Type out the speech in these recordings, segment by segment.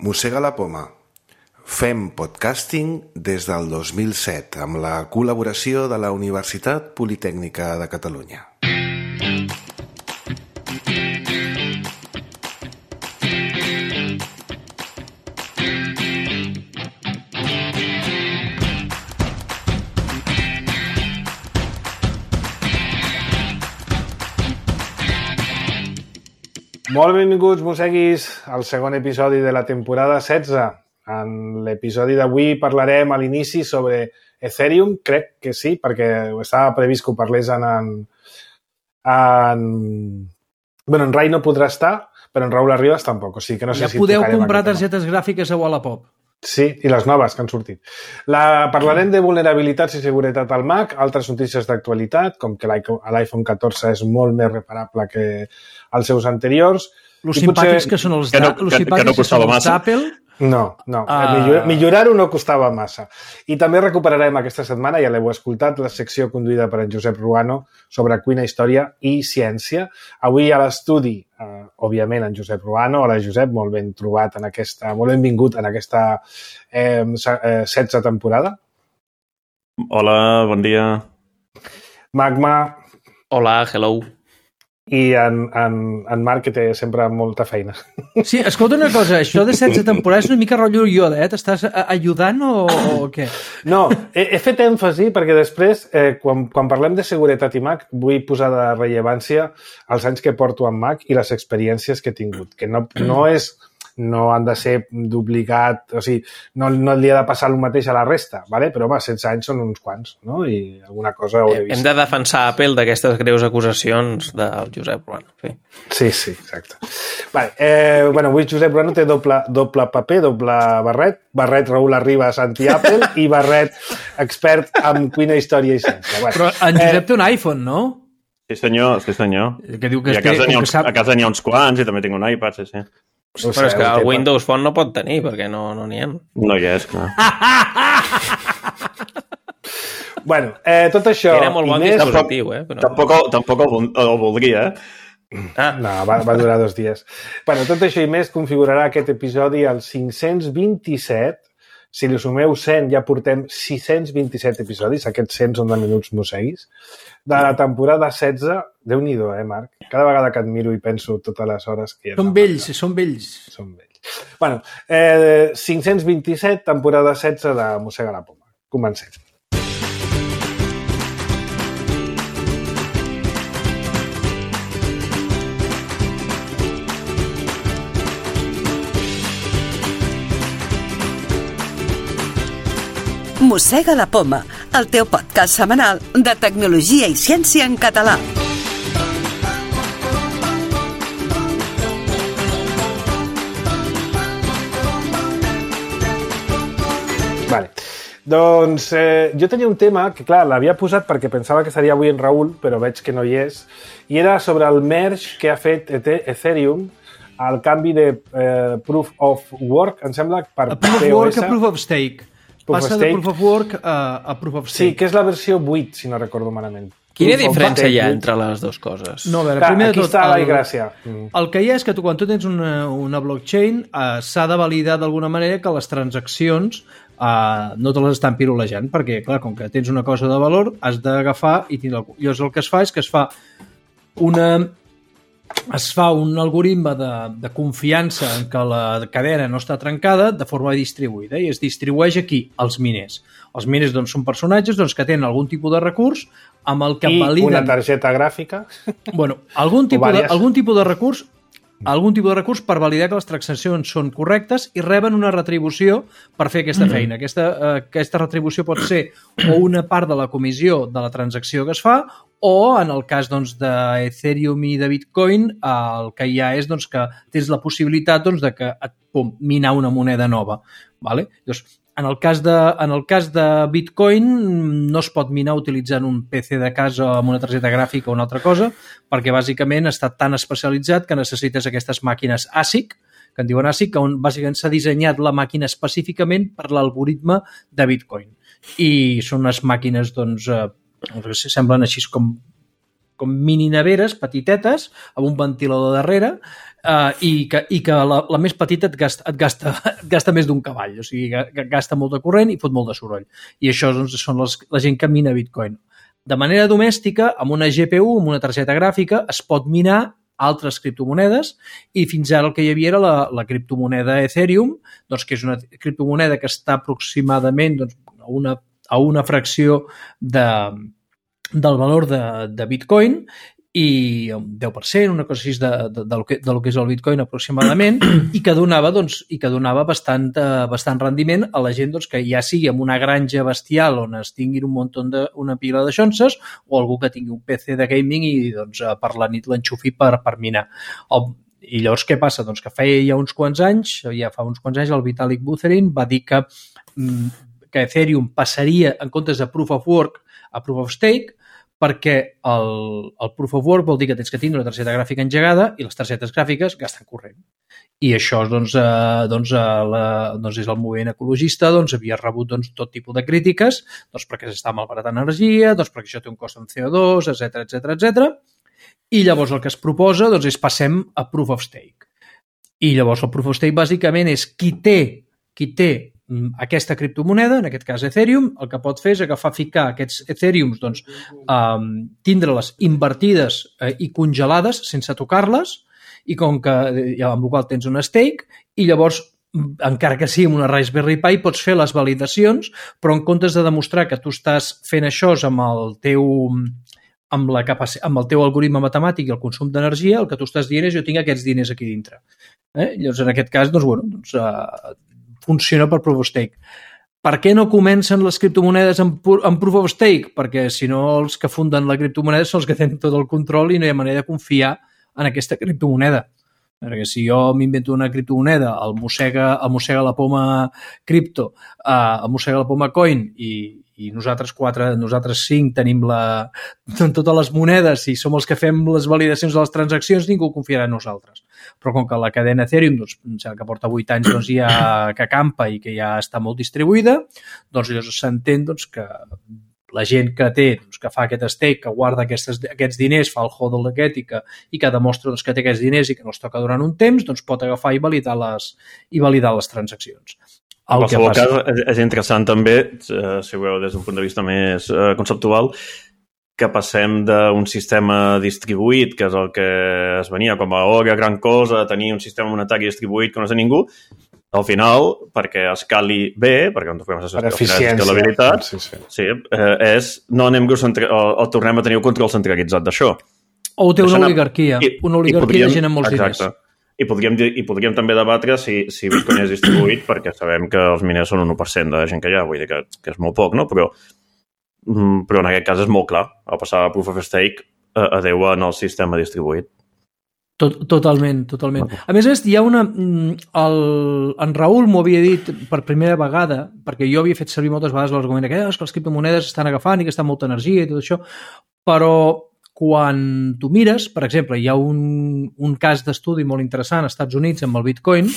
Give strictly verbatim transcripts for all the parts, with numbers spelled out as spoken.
Mossega la poma. Fem podcasting des del dos mil set amb la col·laboració de la Universitat Politècnica de Catalunya. Molt benvinguts, mosseguis, al segon episodi de la temporada setze. En l'episodi d'avui parlarem a l'inici sobre Ethereum, crec que sí, perquè estava previst que ho parlés en... en, en... Bueno, en Rai no podrà estar, però en Raül Arribas tampoc, o sigui que no sé ja si... Ja podeu comprar targetes gràfiques a Wallapop. Sí, i les noves que han sortit. La, parlarem de vulnerabilitats i seguretat al Mac, altres notícies d'actualitat, com que l'iPhone catorze és molt més reparable que els seus anteriors. Los simpàtics que són els d'Apple... No, no. Uh... Millorar-ho no costava massa. I també recuperarem aquesta setmana, ja l'heu escoltat, la secció conduïda per en Josep Ruano sobre cuina, història i ciència. Avui a l'estudi, eh, òbviament, en Josep Ruano. Hola, Josep, molt ben trobat en aquesta... Molt benvingut en aquesta eh, setze temporada. Hola, bon dia. Magma. Hola, hello. I en, en, en Marc, que té sempre molta feina. Sí, escolta una cosa, això de setze temporades és una mica rotllo Yoda, eh? T'estàs ajudant o, o què? No, he, he fet èmfasi perquè després, eh, quan, quan parlem de seguretat i Mac, vull posar de rellevància els anys que porto en Mac i les experiències que he tingut, que no, no és... no han de ser d'obligat, o sigui, no, no li ha de passar el mateix a la resta, ¿vale? Però home, setze anys són uns quants, no? I alguna cosa hauré vist. Hem de defensar Apple d'aquestes greus acusacions del Josep Ruano. Sí, sí, sí, exacte. Vale, eh, bueno, avui Josep Ruano té doble, doble paper, doble barret, barret Raül Arribas anti-Apple i barret expert en cuina, història i ciència. Bueno, però en Josep eh, té un iPhone, no? Sí senyor, sí senyor. Que diu que I a casa n'hi ha, sap... ha uns quants i també tinc un iPad, sí, sí. O però és que el Windows Phone no pot tenir, perquè no n'hi no ha. No hi és, clar. Bueno, eh, tot això... Era molt bon més... dispositiu, eh? Però... Tampoc, tampoc el, el voldria, eh? Ah. No, va, va durar dos dies. Bueno, tot això i més configurarà aquest episodi al cinc-cents vint-i-set. Si li sumeu cent, ja portem sis-cents vint-i-set episodis. Aquests cent són de minuts mosseguis. De la temporada setze, Déu-n'hi-do, eh, Marc? Cada vegada que et miro i penso totes les hores que... Són vells, són vells. Són vells. Bueno, eh, cinc-cents vint-i-set, temporada setze de Mossega la poma. Comencem. Mossega la poma, el teu podcast setmanal de tecnologia i ciència en català. Vale. Doncs eh, jo tenia un tema que, clar, l'havia posat perquè pensava que seria avui en Raül, però veig que no hi és, i era sobre el merge que ha fet Ethereum al canvi de eh, Proof of Work, em sembla, per a Proof of Work a Proof of Stake. Passa de Proof of Work a, a Proof of Stake. Sí, que és la versió vuit, si no recordo malament. Quina diferència hi ha entre les dues coses? No, a veure, primer de tot... Aquí està la gràcia. El que hi ha és que tu, quan tu tens una, una blockchain, eh, s'ha de validar d'alguna manera que les transaccions eh, no te les estan pirulejant, perquè, clar, com que tens una cosa de valor, has d'agafar i tindre... Llavors el que es fa és que es fa una... es fa un algoritme de, de confiança en que la cadena no està trencada de forma distribuïda i es distribueix aquí, als miners. Els miners doncs, són personatges doncs, que tenen algun tipus de recurs amb el que I validen... una targeta gràfica. Bueno, algun tipus, de, algun tipus de recurs algun tipus de recurs per validar que les transaccions són correctes i reben una retribució per fer aquesta feina. Aquesta, eh, aquesta retribució pot ser o una part de la comissió de la transacció que es fa o, en el cas doncs, d'Ethereum i de Bitcoin, el que hi ha és doncs, que tens la possibilitat doncs, de que et pum, minar una moneda nova. Vale? Doncs, en, el cas de, en el cas de Bitcoin no es pot minar utilitzant un P C de casa amb una targeta gràfica o una altra cosa, perquè bàsicament està tan especialitzat que necessites aquestes màquines A S I C, que en diuen A S I C, on bàsicament s'ha dissenyat la màquina específicament per l'algoritme de Bitcoin. I són unes màquines, doncs, eh, semblen així com com mini neveres petitetes amb un ventilador darrere uh, i que, i que la, la més petita et gasta, et, gasta, et gasta més d'un cavall, o sigui, que gasta molt de corrent i fot molt de soroll. I això doncs, són les, la gent que mina Bitcoin. De manera domèstica, amb una G P U, amb una targeta gràfica, es pot minar altres criptomonedes i fins ara el que hi havia era la, la criptomoneda Ethereum, doncs, que és una criptomoneda que està aproximadament doncs, a, una, a una fracció de, del valor de, de Bitcoin i un deu per cent, una cosa així de, de, de, lo que, de lo que és el Bitcoin aproximadament i que donava, doncs, i que donava bastant, uh, bastant rendiment a la gent doncs, que ja sigui amb una granja bestial on es tinguin un munt de, una pila de xonses o algú que tingui un P C de gaming i doncs, per la nit l'enxufi per, per minar. El, I llavors què passa? Doncs que feia ja uns quants anys, ja fa uns quants anys, el Vitalik Buterin va dir que, que Ethereum passaria en comptes de Proof of Work a Proof of Stake perquè el, el Proof of Work vol dir que tens que tindre una targeta gràfica engegada i les targetes gràfiques gasten corrent. I això doncs, eh, doncs, eh, la, doncs és el moviment ecologista, doncs havia rebut doncs, tot tipus de crítiques doncs, perquè s'està malbaratant energia, doncs, perquè això té un cost en C O dos, etcètera, etcètera, etcètera. I llavors el que es proposa doncs, és passem a Proof of Stake. I llavors el Proof of Stake bàsicament és qui té, qui té aquesta criptomoneda, en aquest cas Ethereum, el que pot fer és agafar, ficar aquests Ethereums, doncs, um, tindre-les invertides eh, i congelades sense tocar-les i com que, ja, amb la qual tens un stake i llavors, encara que sigui amb una Raspberry Pi, pots fer les validacions, però en comptes de demostrar que tu estàs fent això amb el teu amb, la capaci- amb el teu algoritme matemàtic i el consum d'energia, el que tu estàs dient és jo tinc aquests diners aquí dintre. Eh? Llavors, en aquest cas, doncs, bueno, doncs, uh, funciona per Proof of Stake. Per què no comencen les criptomonedes en, en Proof of Stake? Perquè si no els que funden la criptomoneda són els que tenen tot el control i no hi ha manera de confiar en aquesta criptomoneda. Perquè si jo m'invento una criptomoneda, el mossega, el mossega la poma cripto, eh, el mossega la poma coin i, i nosaltres quatre, nosaltres cinc tenim la, totes les monedes i som els que fem les validacions de les transaccions, ningú confiarà en nosaltres. Però com que la cadena Ethereum, doncs, que porta vuit anys, doncs, ja que campa i que ja està molt distribuïda, doncs llavors s'entén doncs, que la gent que té, doncs, que fa aquest stake, que guarda aquestes, aquests diners, fa el hodl aquest i que, i que demostra doncs, que té aquests diners i que no els toca durant un temps, doncs pot agafar i validar les, i validar les transaccions. En qualsevol cas, és interessant també, eh, si ho veu des d'un punt de vista més eh, conceptual, que passem d'un sistema distribuït, que és el que es venia com a oh, gran cosa, tenir un sistema monetari distribuït que no és de ningú, al final, perquè escali bé, perquè on fem per eficiència, sí, sí. Sí, eh, és no anem centra... o, o tornem a tenir el control centralitzat d'això. O té una Deixant oligarquia, I, una oligarquia podríem, de gent amb molts exacte. diners. I podríem, I podríem també debatre si, si Bitcoin és distribuït, perquè sabem que els miners són un u per cent de gent que hi ha, vull dir que, que és molt poc, no? Però, però en aquest cas és molt clar. Al passar a Proof of Stake eh, adeu en el sistema distribuït. Tot, totalment, totalment. A més a més, hi ha una... El, en Raül m'ho havia dit per primera vegada, perquè jo havia fet servir moltes vegades l'argument que, eh, que les criptomonedes estan agafant i que està molta energia i tot això, però quan tu mires, per exemple, hi ha un, un cas d'estudi molt interessant als Estats Units amb el Bitcoin,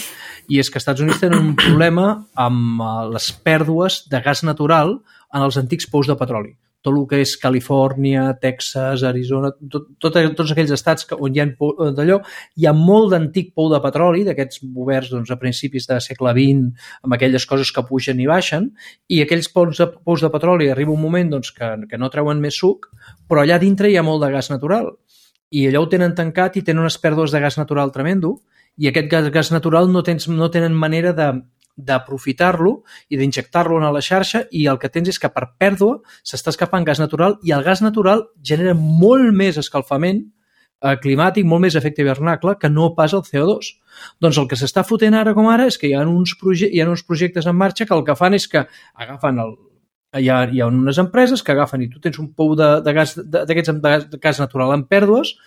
i és que als Estats Units tenen un problema amb les pèrdues de gas natural en els antics pous de petroli. Tot el que és Califòrnia, Texas, Arizona, tot, tot, tots aquells estats que, on hi ha d'allò, hi ha molt d'antic pou de petroli, d'aquests oberts doncs, a principis de segle vint, amb aquelles coses que pugen i baixen, i aquells pous de, pous de petroli arriba un moment doncs, que, que no treuen més suc, però allà dintre hi ha molt de gas natural. I allò ho tenen tancat i tenen unes pèrdues de gas natural tremendo, i aquest gas, gas natural no, tens, no tenen manera de d'aprofitar-lo i d'injectar-lo a la xarxa i el que tens és que per pèrdua s'està escapant gas natural i el gas natural genera molt més escalfament eh, climàtic, molt més efecte hivernacle que no pas el C O dos. Doncs el que s'està fotent ara com ara és que hi ha uns, proje hi ha uns projectes en marxa que el que fan és que agafen el Hi ha, hi ha unes empreses que agafen i tu tens un pou de, de gas d'aquests de, de gas natural en pèrdues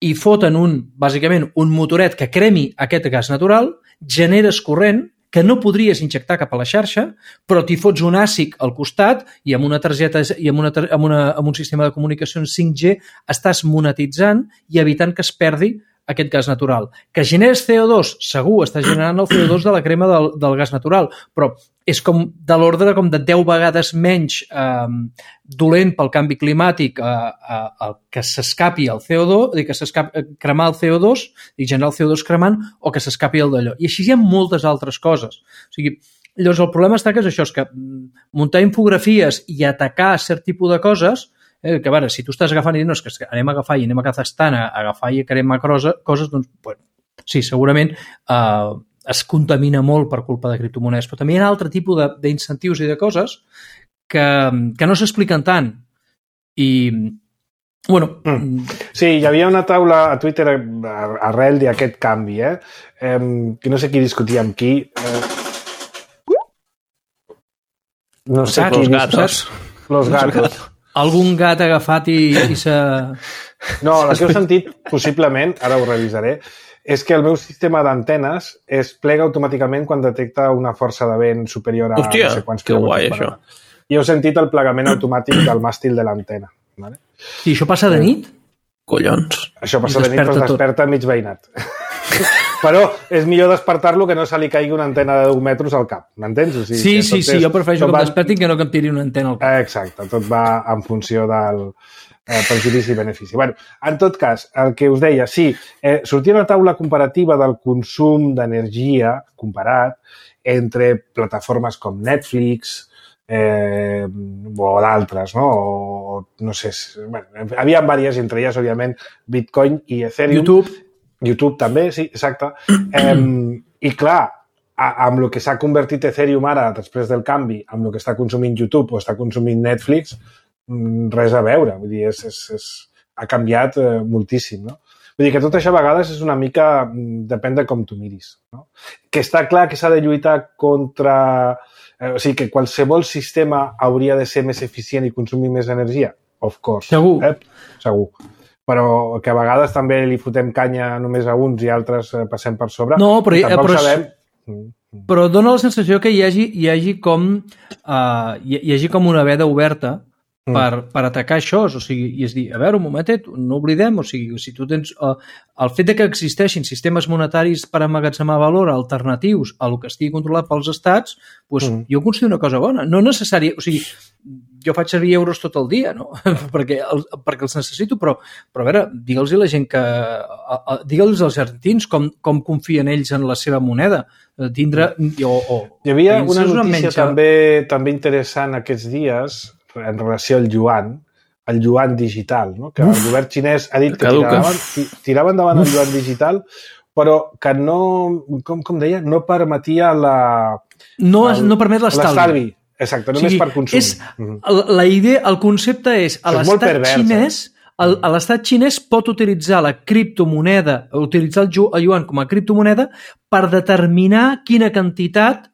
i foten un, bàsicament, un motoret que cremi aquest gas natural, generes corrent que no podries injectar cap a la xarxa, però t'hi fots un àsic al costat i amb una targeta i amb, una, amb, una, amb un sistema de comunicacions cinc G estàs monetitzant i evitant que es perdi aquest gas natural. Que generes C O dos, segur, està generant el C O dos de la crema del, del gas natural, però és com de l'ordre com de deu vegades menys eh, dolent pel canvi climàtic eh, eh, que s'escapi el C O dos, dir, que s'escapi cremar el C O dos i generar el C O dos cremant, o que s'escapi el d'allò. I així hi ha moltes altres coses. O sigui, llavors el problema està que és això, és que muntar infografies i atacar cert tipus de coses, Eh, que a veure, si tu estàs agafant i no, és que anem a agafar i anem a Kazakhstan a agafar i a cremar coses, doncs, bueno, sí, segurament eh, es contamina molt per culpa de criptomonedes, però també hi ha altre tipus d'incentius i de coses que, que no s'expliquen tant. I, bueno... Mm. Sí, hi havia una taula a Twitter arrel d'aquest canvi, eh? eh? Que no sé qui discutia amb qui. Eh... No sé Los qui gatos. Los gatos. Algun gat agafat i, i s'ha... No, el que heu sentit, possiblement, ara ho revisaré, és que el meu sistema d'antenes es plega automàticament quan detecta una força de vent superior a Hòstia, no sé quants que guai, això. I heu sentit el plegament automàtic del màstil de l'antena. Vale? I això passa de nit? Collons. Això passa de nit, però es desperta mig veïnat. Però és millor despertar-lo que no se li caigui una antena de deu metres al cap, m'entens? O sigui, sí, sí, sí, és, jo prefereixo que em va... despertin que no que em tiri una antena al cap. Exacte, tot va en funció del eh, perjudici i benefici. Bueno, en tot cas, el que us deia, sí, eh, sortia una taula comparativa del consum d'energia comparat entre plataformes com Netflix eh, o d'altres, no? O, no sé, bueno, havia diverses, entre elles, òbviament, Bitcoin i Ethereum. YouTube. YouTube també, sí, exacte. Eh, I clar, a, amb el que s'ha convertit Ethereum ara, després del canvi, amb el que està consumint YouTube o està consumint Netflix, res a veure. Vull dir, és, és, és, ha canviat eh, moltíssim, no? Vull dir que tot això a vegades és una mica... Depèn de com tu miris, no? Que està clar que s'ha de lluitar contra... Eh, o sigui, que qualsevol sistema hauria de ser més eficient i consumir més energia? Of course. Segur. Eh? Segur. Però que a vegades també li fotem canya només a uns i altres passem per sobre. No, però, tampoc però, sabem... però dona la sensació que hi hagi, hi hagi, com, uh, hi, hi hagi com una veda oberta mm. per, per atacar això. O sigui, i és dir, a veure, un momentet, no oblidem, o sigui, si tu tens... Uh, el fet de que existeixin sistemes monetaris per emmagatzemar valor alternatius a el que estigui controlat pels estats, doncs mm. jo considero una cosa bona. No necessària... O sigui, jo faig servir euros tot el dia, no? perquè, el, perquè els necessito, però, però a veure, digue'ls a la gent que... Digue'ls als argentins com, com confien ells en la seva moneda. Tindre... O, o, Hi havia una notícia també, també interessant aquests dies en relació al yuan, el yuan digital, no? Que Uf, el govern xinès ha dit que tiraven, tiraven endavant el yuan digital, però que no, com, com deia, no permetia la... No, el, no permet l'estalvi. Exacte, només o sigui, per consum. És, la idea, el concepte és, a l'estat xinès, el, a l'estat xinès pot utilitzar la criptomoneda, utilitzar el, el yuan com a criptomoneda per determinar quina quantitat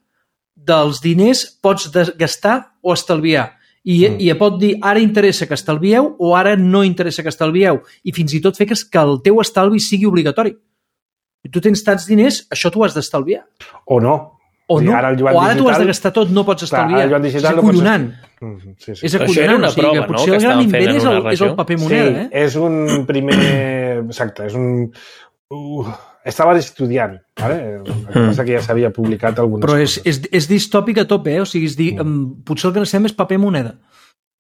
dels diners pots gastar o estalviar. I, mm. i pot dir, ara interessa que estalvieu o ara no interessa que estalvieu. I fins i tot fer que, que el teu estalvi sigui obligatori. Si tu tens tants diners, això t'ho has d'estalviar. O no. O no, ara o ara tu has de gastar tot, no pots estalviar. Clar, és acollonant. No pots... sí, sí. És acollonant, o sigui, que potser no? el gran invent és el, és el paper moneda. Sí, eh? és un primer... Exacte, és un... Uh, estava estudiant, ¿vale? El que passa que ja s'havia publicat algunes Però és, coses. és, és distòpic a tope, eh? O sigui, és dir, mm. potser el que necessitem és paper moneda.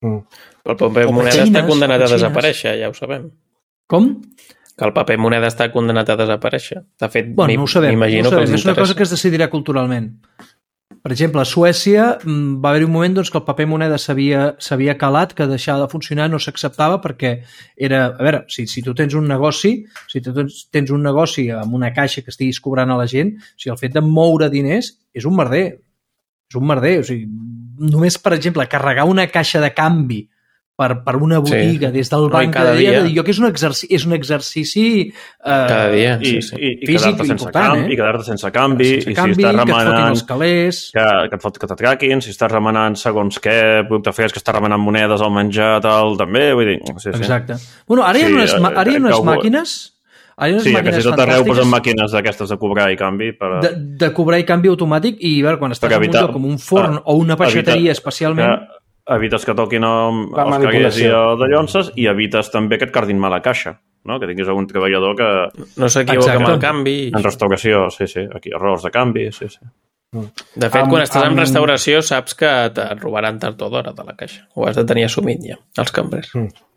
Mm. El paper moneda xines, està condenat a desaparèixer, ja ho sabem. Com? Que el paper moneda està condenat a desaparèixer. De fet, bueno, no ho sabem, no ho sabem. És una cosa que es decidirà culturalment. Per exemple, a Suècia va haver-hi un moment doncs, que el paper moneda s'havia calat, que deixar de funcionar no s'acceptava perquè era... A veure, si, si tu tens un negoci, si tu tens, tens un negoci amb una caixa que estiguis cobrant a la gent, o sigui, el fet de moure diners és un merder. És un merder. O sigui, només, per exemple, carregar una caixa de canvi per, per una botiga sí. des del banc cada dia, dia. Jo que és un exercici, és un exercici eh, cada dia i, sí, sí. i, i físic sense important, camp, eh? i quedar-te sense canvi, sense i canvi, si estàs remenant que et fotin els calés, que, que et fot que t'atraquin, si estàs remenant segons què, producte fresc, que estàs remenant monedes al menjar, tal, també, vull dir... Sí, sí. Exacte. Bueno, ara hi ha unes, sí, ara hi ha unes que, màquines... Ara hi ha unes sí, màquines que si tot arreu posen màquines d'aquestes de cobrar i canvi... Per... De, de cobrar i canvi automàtic i, a veure, quan estàs en un lloc com un forn ah, o una peixateria evita, especialment... Que, evites que toquin els caguers i de llonces i evites també que et cardin mal a caixa. no? Que tinguis algun treballador que... No s'equivoca amb el canvi. En restauració, sí, sí. Aquí, errors de canvi, sí, sí. De fet, um, quan estàs um... en restauració saps que et robaran tard o d'hora de la caixa. Ho has de tenir assumit ja, els cambrers. Mm.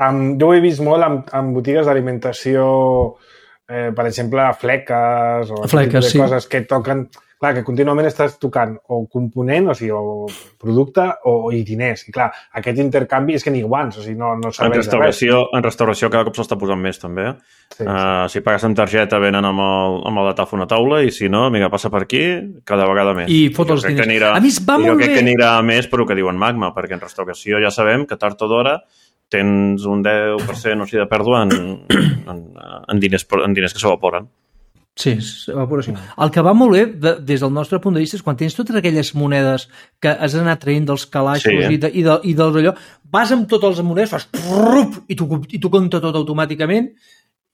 Um, jo ho he vist molt en, en botigues d'alimentació, eh, per exemple, fleques o fleques, de sí. coses que toquen... Clar, que contínuament estàs tocant o component, o sigui, o producte o i diners. I clar, aquest intercanvi és que ni guants, o sigui, no, no serveix de res. En restauració cada cop s'està posant més, també. Sí, uh, sí. Si pagues amb targeta, venen amb el, amb el datàfon a taula, i si no, vinga, passa per aquí, cada vegada més. I fot els diners. Anirà, a més, va molt bé. Jo crec que anirà més per el que diuen Magma, perquè en restauració ja sabem que tard o d'hora tens un deu per cent o sigui, de pèrdua en, en, en, diners, en diners que s'evaporen. Sí, evaporació. El que va molt bé, de, des del nostre punt de vista, és quan tens totes aquelles monedes que has anat traient dels calaixos sí, eh? i, de, i, de, i del allò, vas amb totes les monedes, fas prrrup, i tu, i tu compta tot automàticament,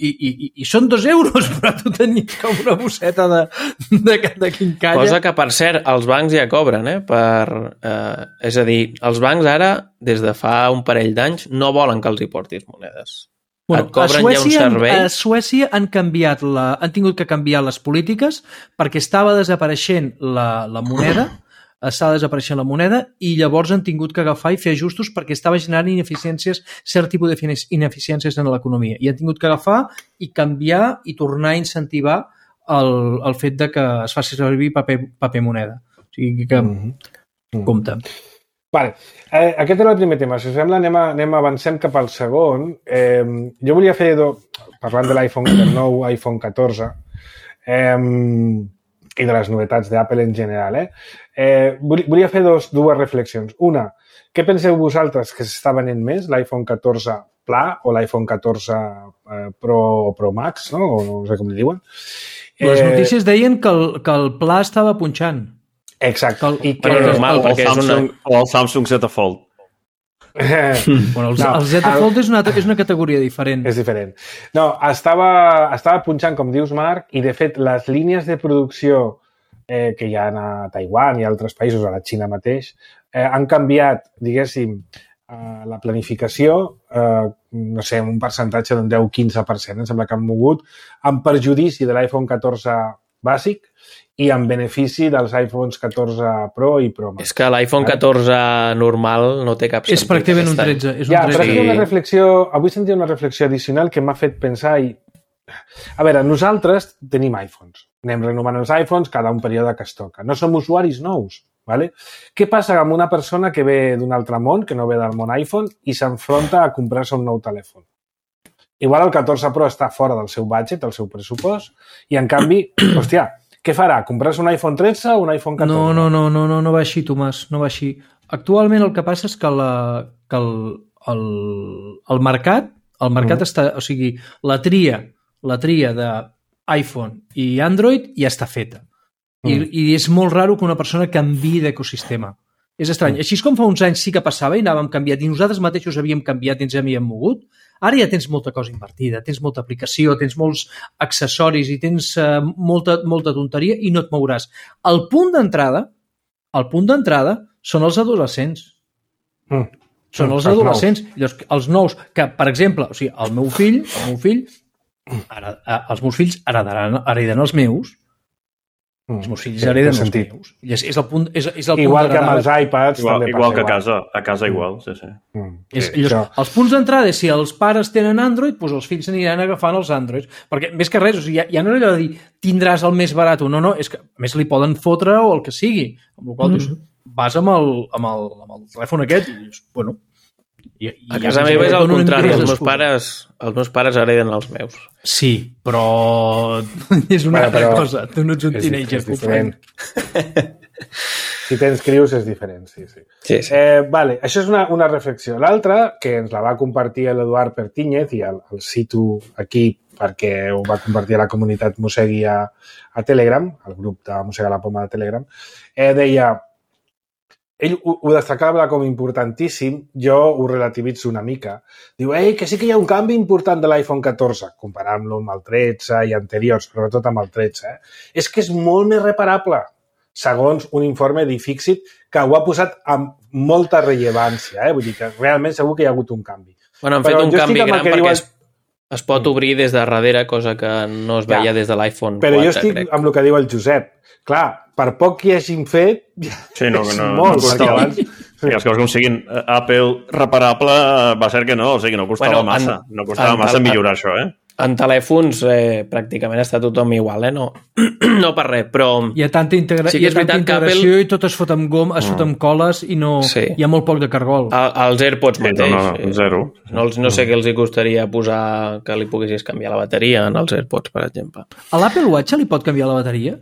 i, i, i, i són dos euros, però tu tenies com una bosseta de, de, de quincalla. Cosa que, per cert, els bancs ja cobren, eh? Per, eh, és a dir, els bancs ara, des de fa un parell d'anys, no volen que els hi portis monedes. Bueno, a, Suècia, a Suècia han canviat la, han tingut que canviar les polítiques perquè estava desapareixent la, la moneda, estava desapareixent la moneda i llavors han tingut que agafar i fer ajustos perquè estava generant ineficiències, cert tipus d'ineficiències en l'economia. I han tingut que agafar i canviar i tornar a incentivar el, el fet de que es faci servir paper, paper moneda. O sigui que, mm-hmm. compte. Vale. Eh, aquest era el primer tema. Si us sembla, anem, a, anem avancem cap al segon. Eh, jo volia fer, do, parlant de l'iPhone, del nou iPhone catorze, eh, i de les novetats d'Apple en general, eh, eh, volia fer dos, dues reflexions. Una, què penseu vosaltres que s'està venent més, l'iPhone catorze Pla o l'iPhone catorze eh, Pro o Pro Max, no? O no sé com li diuen. Les notícies deien que el, que el Pla estava punxant. Exacte. El, I que, bueno, normal, el, el, Samsung, una... o el Samsung Z Fold. bueno, el, no, el Z Fold és una, és una categoria diferent. És diferent. No, estava, estava punxant, com dius, Marc, i de fet les línies de producció eh, que hi ha a Taiwan i a altres països, a la Xina mateix, eh, han canviat, diguéssim, eh, la planificació, eh, no sé, un percentatge d'un deu a quinze per cent, em sembla que han mogut, en perjudici de l'iPhone catorze bàsic i en benefici dels iPhones catorze Pro i Pro Max. És que l'iPhone catorze normal no té cap sentit. És pràcticament un tretze. És un ja, tretze. Però és una reflexió, avui sentia una reflexió addicional que m'ha fet pensar i... A veure, nosaltres tenim iPhones. Anem renovant els iPhones cada un període que es toca. No som usuaris nous. ¿Vale? Què passa amb una persona que ve d'un altre món, que no ve del món iPhone, i s'enfronta a comprar-se un nou telèfon? Igual el catorze Pro està fora del seu budget, del seu pressupost, i en canvi, hòstia, què farà? Comprar-se un iPhone tretze o un iPhone catorze? No, no, no, no, no, no va així, Tomàs, no va així. Actualment el que passa és que, la, que el, el, el mercat, el mercat mm. està, o sigui, la tria, la tria d'iPhone i Android ja està feta. I, mm. I és molt raro que una persona canviï d'ecosistema. És estrany. Mm. Així com fa uns anys sí que passava i anàvem canviat i nosaltres mateixos havíem canviat i ens havíem mogut, ara ja tens molta cosa invertida, tens molta aplicació, tens molts accessoris i tens uh, molta, molta tonteria i no et mouràs. El punt d'entrada, el punt d'entrada són els adolescents. Mm. Són els, els adolescents. Nous. Els nous, que, per exemple, o sigui, el meu fill, el meu fill, ara, els meus fills heretaran, hereden els meus, Mm. Els meus fills sí, hereden els meus. És, és el punt, és, és el igual punt que amb els iPads igual, també igual passa que a casa, a casa igual, sí, sí. Mm. És, sí llavors, els punts d'entrada, si els pares tenen Android, doncs els fills aniran agafant els Androids. Perquè, més que res, o sigui, ja, ja no és allò de dir tindràs el més barat o no, no, és que a més li poden fotre o el que sigui. Amb la qual cosa, mm. vas amb el, amb, el, amb el telèfon aquest i dius, bueno... I, i a casa meva és al contrari, els meus, pares, els meus pares hereden els meus. Sí, però és una bueno, altra cosa. Tu no ets un teenager. És diferent. Si tens crius és diferent, sí, sí. sí, sí. Eh, vale, això és una, una reflexió. L'altra, que ens la va compartir l'Eduard Pertíñez i el, el cito aquí perquè ho va compartir a la comunitat Mossegui a, a Telegram, al grup de Mossega la Poma de Telegram, eh, deia... Ell ho, ho destacava com importantíssim, jo ho relativitzo una mica. Diu, ei, que sí que hi ha un canvi important de l'iPhone catorze, comparant-lo amb el tretze i anteriors, sobretot amb el tretze. Eh? És que és molt més reparable, segons un informe d'Ifixit, que ho ha posat amb molta rellevància. Eh? Vull dir que realment segur que hi ha hagut un canvi. Bueno, han fet Però un canvi gran perquè diuen... és es pot obrir des de darrere, cosa que no es veia ja. des de l'iPhone Però quatre, jo estic crec. amb el que diu el Josep. Clar, per poc que hi hagin fet, sí, no, és no, molt. No costava. Abans... Sí, els coses com siguin Apple reparable va ser que no, o sigui, no costava bueno, massa. En, no costava en, massa en, millorar això, eh? En telèfons eh, pràcticament està tothom igual, eh? No, no per res, però... Hi ha tanta, integra... sí hi ha tanta integració Apple... i tot es fot amb gom, es fot amb coles i no... sí. Hi ha molt poc de cargol. El, els AirPods mateix. Sí, no, no, zero. No, no sé què els hi costaria posar que li poguessis canviar la bateria en els AirPods, per exemple. A l'Apple Watch li pot canviar la bateria?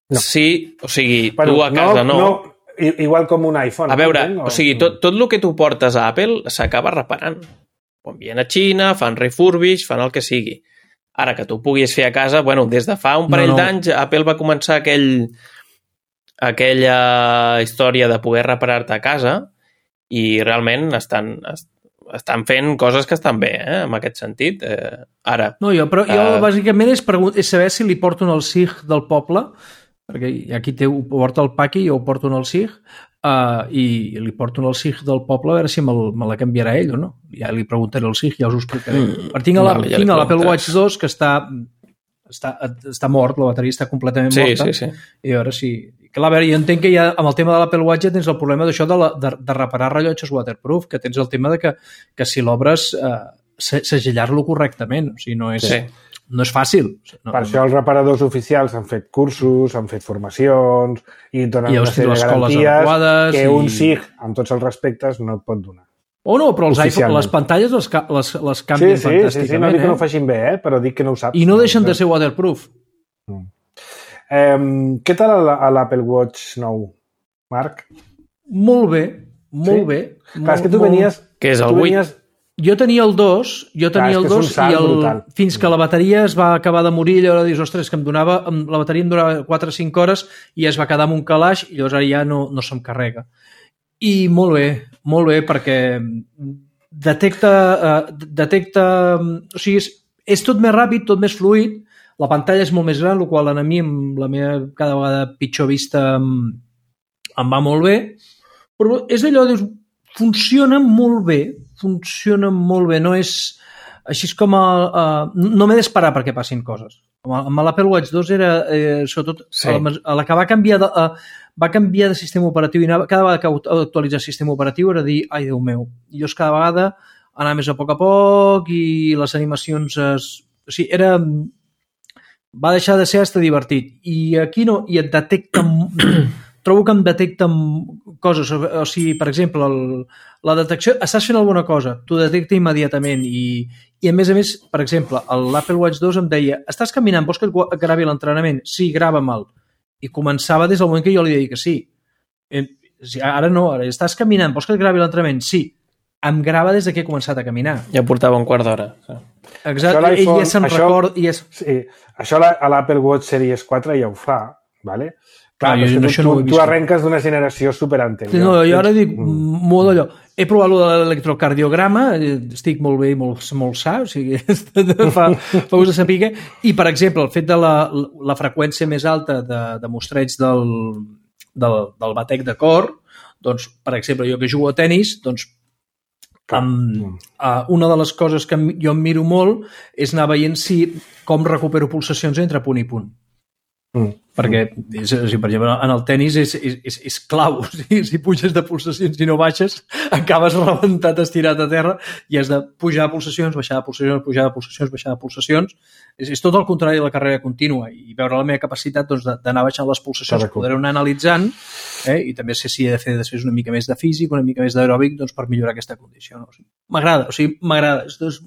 No. Sí, o sigui, bueno, tu a casa no... no. no. Igual com un iPhone. A veure, no? O sigui, tot, tot el que tu portes a Apple s'acaba reparant. Ho envien a Xina, fan refurbish, fan el que sigui. Ara, que tu puguis fer a casa, bueno, des de fa un parell no, no. d'anys, Apple va començar aquell, aquella història de poder reparar-te a casa i realment estan, estan fent coses que estan bé, eh, en aquest sentit. Eh, ara... No, jo, però jo uh, bàsicament és, és saber si li porto el S I G del poble, perquè aquí té, ho porta el Paqui i jo ho porto el S I G, uh, i li porto el S I G del poble a veure si me, me la canviarà ell o no. Ja li preguntaré al S I G, ja us ho explicaré. Mm, però tinc vale, ja l'Apple Watch dos que està, està, està mort, la bateria està completament sí, morta. Sí, sí. I a veure si... Clar, a veure, jo entenc que ja, amb el tema de l'Apple Watch ja tens el problema d'això de, la, de, de reparar rellotges waterproof, que tens el tema de que, que si l'obres eh, segellar-lo correctament. O sigui, no és... Sí. No és fàcil. No, per això els reparadors oficials han fet cursos, han fet formacions i donen I una sèrie de garanties que i... un S I G, amb tots els respectes, no et pot donar. O no, però els iPhone, les pantalles les, les, les canvien sí, sí, fantàsticament. Sí, sí, no dic eh? que no ho facin bé, eh? Però dic que no ho saps. I no deixen de ser waterproof. Mm. Eh, què tal a l'Apple Watch nou, Marc? Molt bé, molt sí? bé. Clar, molt, és que tu venies... Què és el vuit? Jo tenia el dos, jo tenia Clar, el dos i el, fins que la bateria es va acabar de morir, llavors dius, ostres, que em donava, la bateria em donava quatre o cinc hores i es va quedar amb un calaix i llavors ara ja no, no se'm carrega. I molt bé, molt bé, perquè detecta, uh, detecta o sigui, és, és tot més ràpid, tot més fluid, la pantalla és molt més gran, el qual a mi, amb la meva cada vegada pitjor vista, em, em va molt bé, però és allò, dius, funciona molt bé, funciona molt bé, no és així com a, a, no m'he d'esperar perquè passin coses. Amb l'Apple Watch dos era eh, sobretot sí. a, la, a la que va canviar de, a, va canviar de sistema operatiu i anava, cada vegada que actualitzar el sistema operatiu era dir, ai Déu meu, i jo cada vegada anava més a poc a poc i les animacions es, o sigui, era va deixar de ser hasta divertit i aquí no, i et detecta trobo que em detecta coses, o sigui, per exemple, el, la detecció, estàs fent alguna cosa, t'ho detecta immediatament i, i a més a més, per exemple, l'Apple Watch dos em deia, estàs caminant, vols que et gravi l'entrenament? Sí, grava-me'l. I començava des del moment que jo li deia que sí. Eh, ara no, ara estàs caminant, vols que et gravi l'entrenament? Sí. Em grava des de que he començat a caminar. Ja portava un quart d'hora. Exacte, ell ja se'n recorda... Ja es... Sí, això a l'Apple Watch Series quatre ja ho fa, ¿vale? Clar, no, jo, tu, això tu, no ho he vist. Tu arrenques d'una generació superanterior. No, jo ara dic mm. molt d'allò. He provat l'electrocardiograma, estic molt bé i molt, molt sa, o sigui, fa, fa ús de saber. I, per exemple, el fet de la, la freqüència més alta de, de mostreig del, del, del batec de cor, doncs, per exemple, jo que jugo a tenis, doncs, amb, uh, una de les coses que jo em miro molt és anar veient si, com recupero pulsacions entre punt i punt. Mm. Perquè, és, per exemple, en el tenis és, és, és, és clau. O sigui, si puges de pulsacions i no baixes, acabes rebentat, estirat a terra i has de pujar de pulsacions, baixar de pulsacions, pujar de pulsacions, baixar de pulsacions. És, és tot el contrari de la carrera contínua i veure la meva capacitat doncs, d'anar baixant les pulsacions, poder-ho anar analitzant eh? I també sé si he de fer després una mica més de físic, una mica més d'aeròbic doncs, per millorar aquesta condició. No? O sigui, m'agrada, o sigui, m'agrada. És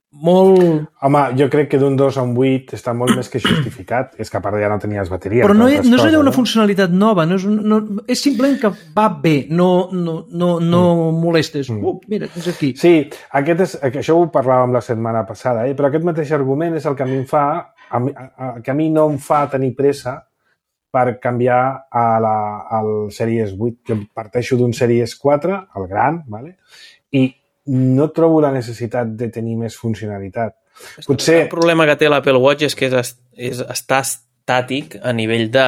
molt... Home, jo crec que d'un dos a un vuit està molt més que justificat. És que a part ja no tenies bateria. Però no, no és allò una funcionalitat nova, no és, no, és simplement que va bé, no, no, no, no mm. molestes. Mm. Uh, mira, tens aquí. Sí, aquest és, això ho parlàvem la setmana passada, eh? Però aquest mateix argument és el que a mi em fa, a mi, a, que a mi no em fa tenir pressa per canviar a la, al Series vuit. Jo parteixo d'un Series quatre, el gran, ¿vale? I no trobo la necessitat de tenir més funcionalitat. Potser... El problema que té l'Apple Watch és que és, és, està estàtic a nivell de,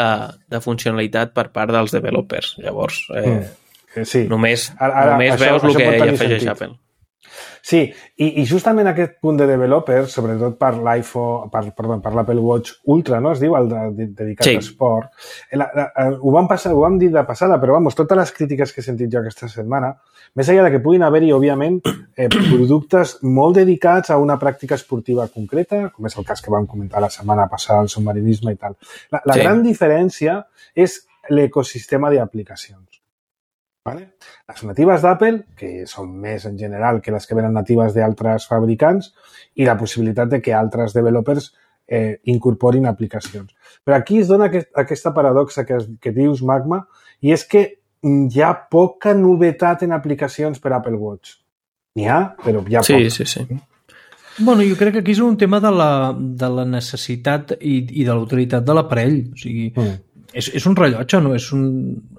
de funcionalitat per part dels developers. Llavors, eh, mm. sí. només, ara, ara, només això, veus el que hi afegeix sentit. Apple. Sí, i, i justament aquest punt de developers, sobretot per l'iPhone, per, perdó, per l'Apple Watch Ultra, no es diu, el de, de, dedicat sí. a esport, la, la, ho, vam passar, ho vam dir de passada, però vamos, totes les crítiques que he sentit jo aquesta setmana, més enllà de que puguin haver-hi, òbviament, eh, productes molt dedicats a una pràctica esportiva concreta, com és el cas que vam comentar la setmana passada, el submarinisme i tal. La, la sí. gran diferència és l'ecosistema d'aplicacions. Vale? Les natives d'Apple, que són més en general que les que venen natives d'altres fabricants, i la possibilitat de que altres developers eh, incorporin aplicacions. Però aquí es dona aquest, aquesta paradoxa que, que dius, Magma, i és que hi ha poca novetat en aplicacions per Apple Watch. N'hi ha, però hi ha sí, poca. Sí, sí, sí. Bueno, jo crec que aquí és un tema de la, de la necessitat i, i de la utilitat de l'aparell. O sigui, mm. és, és un rellotge, no és un...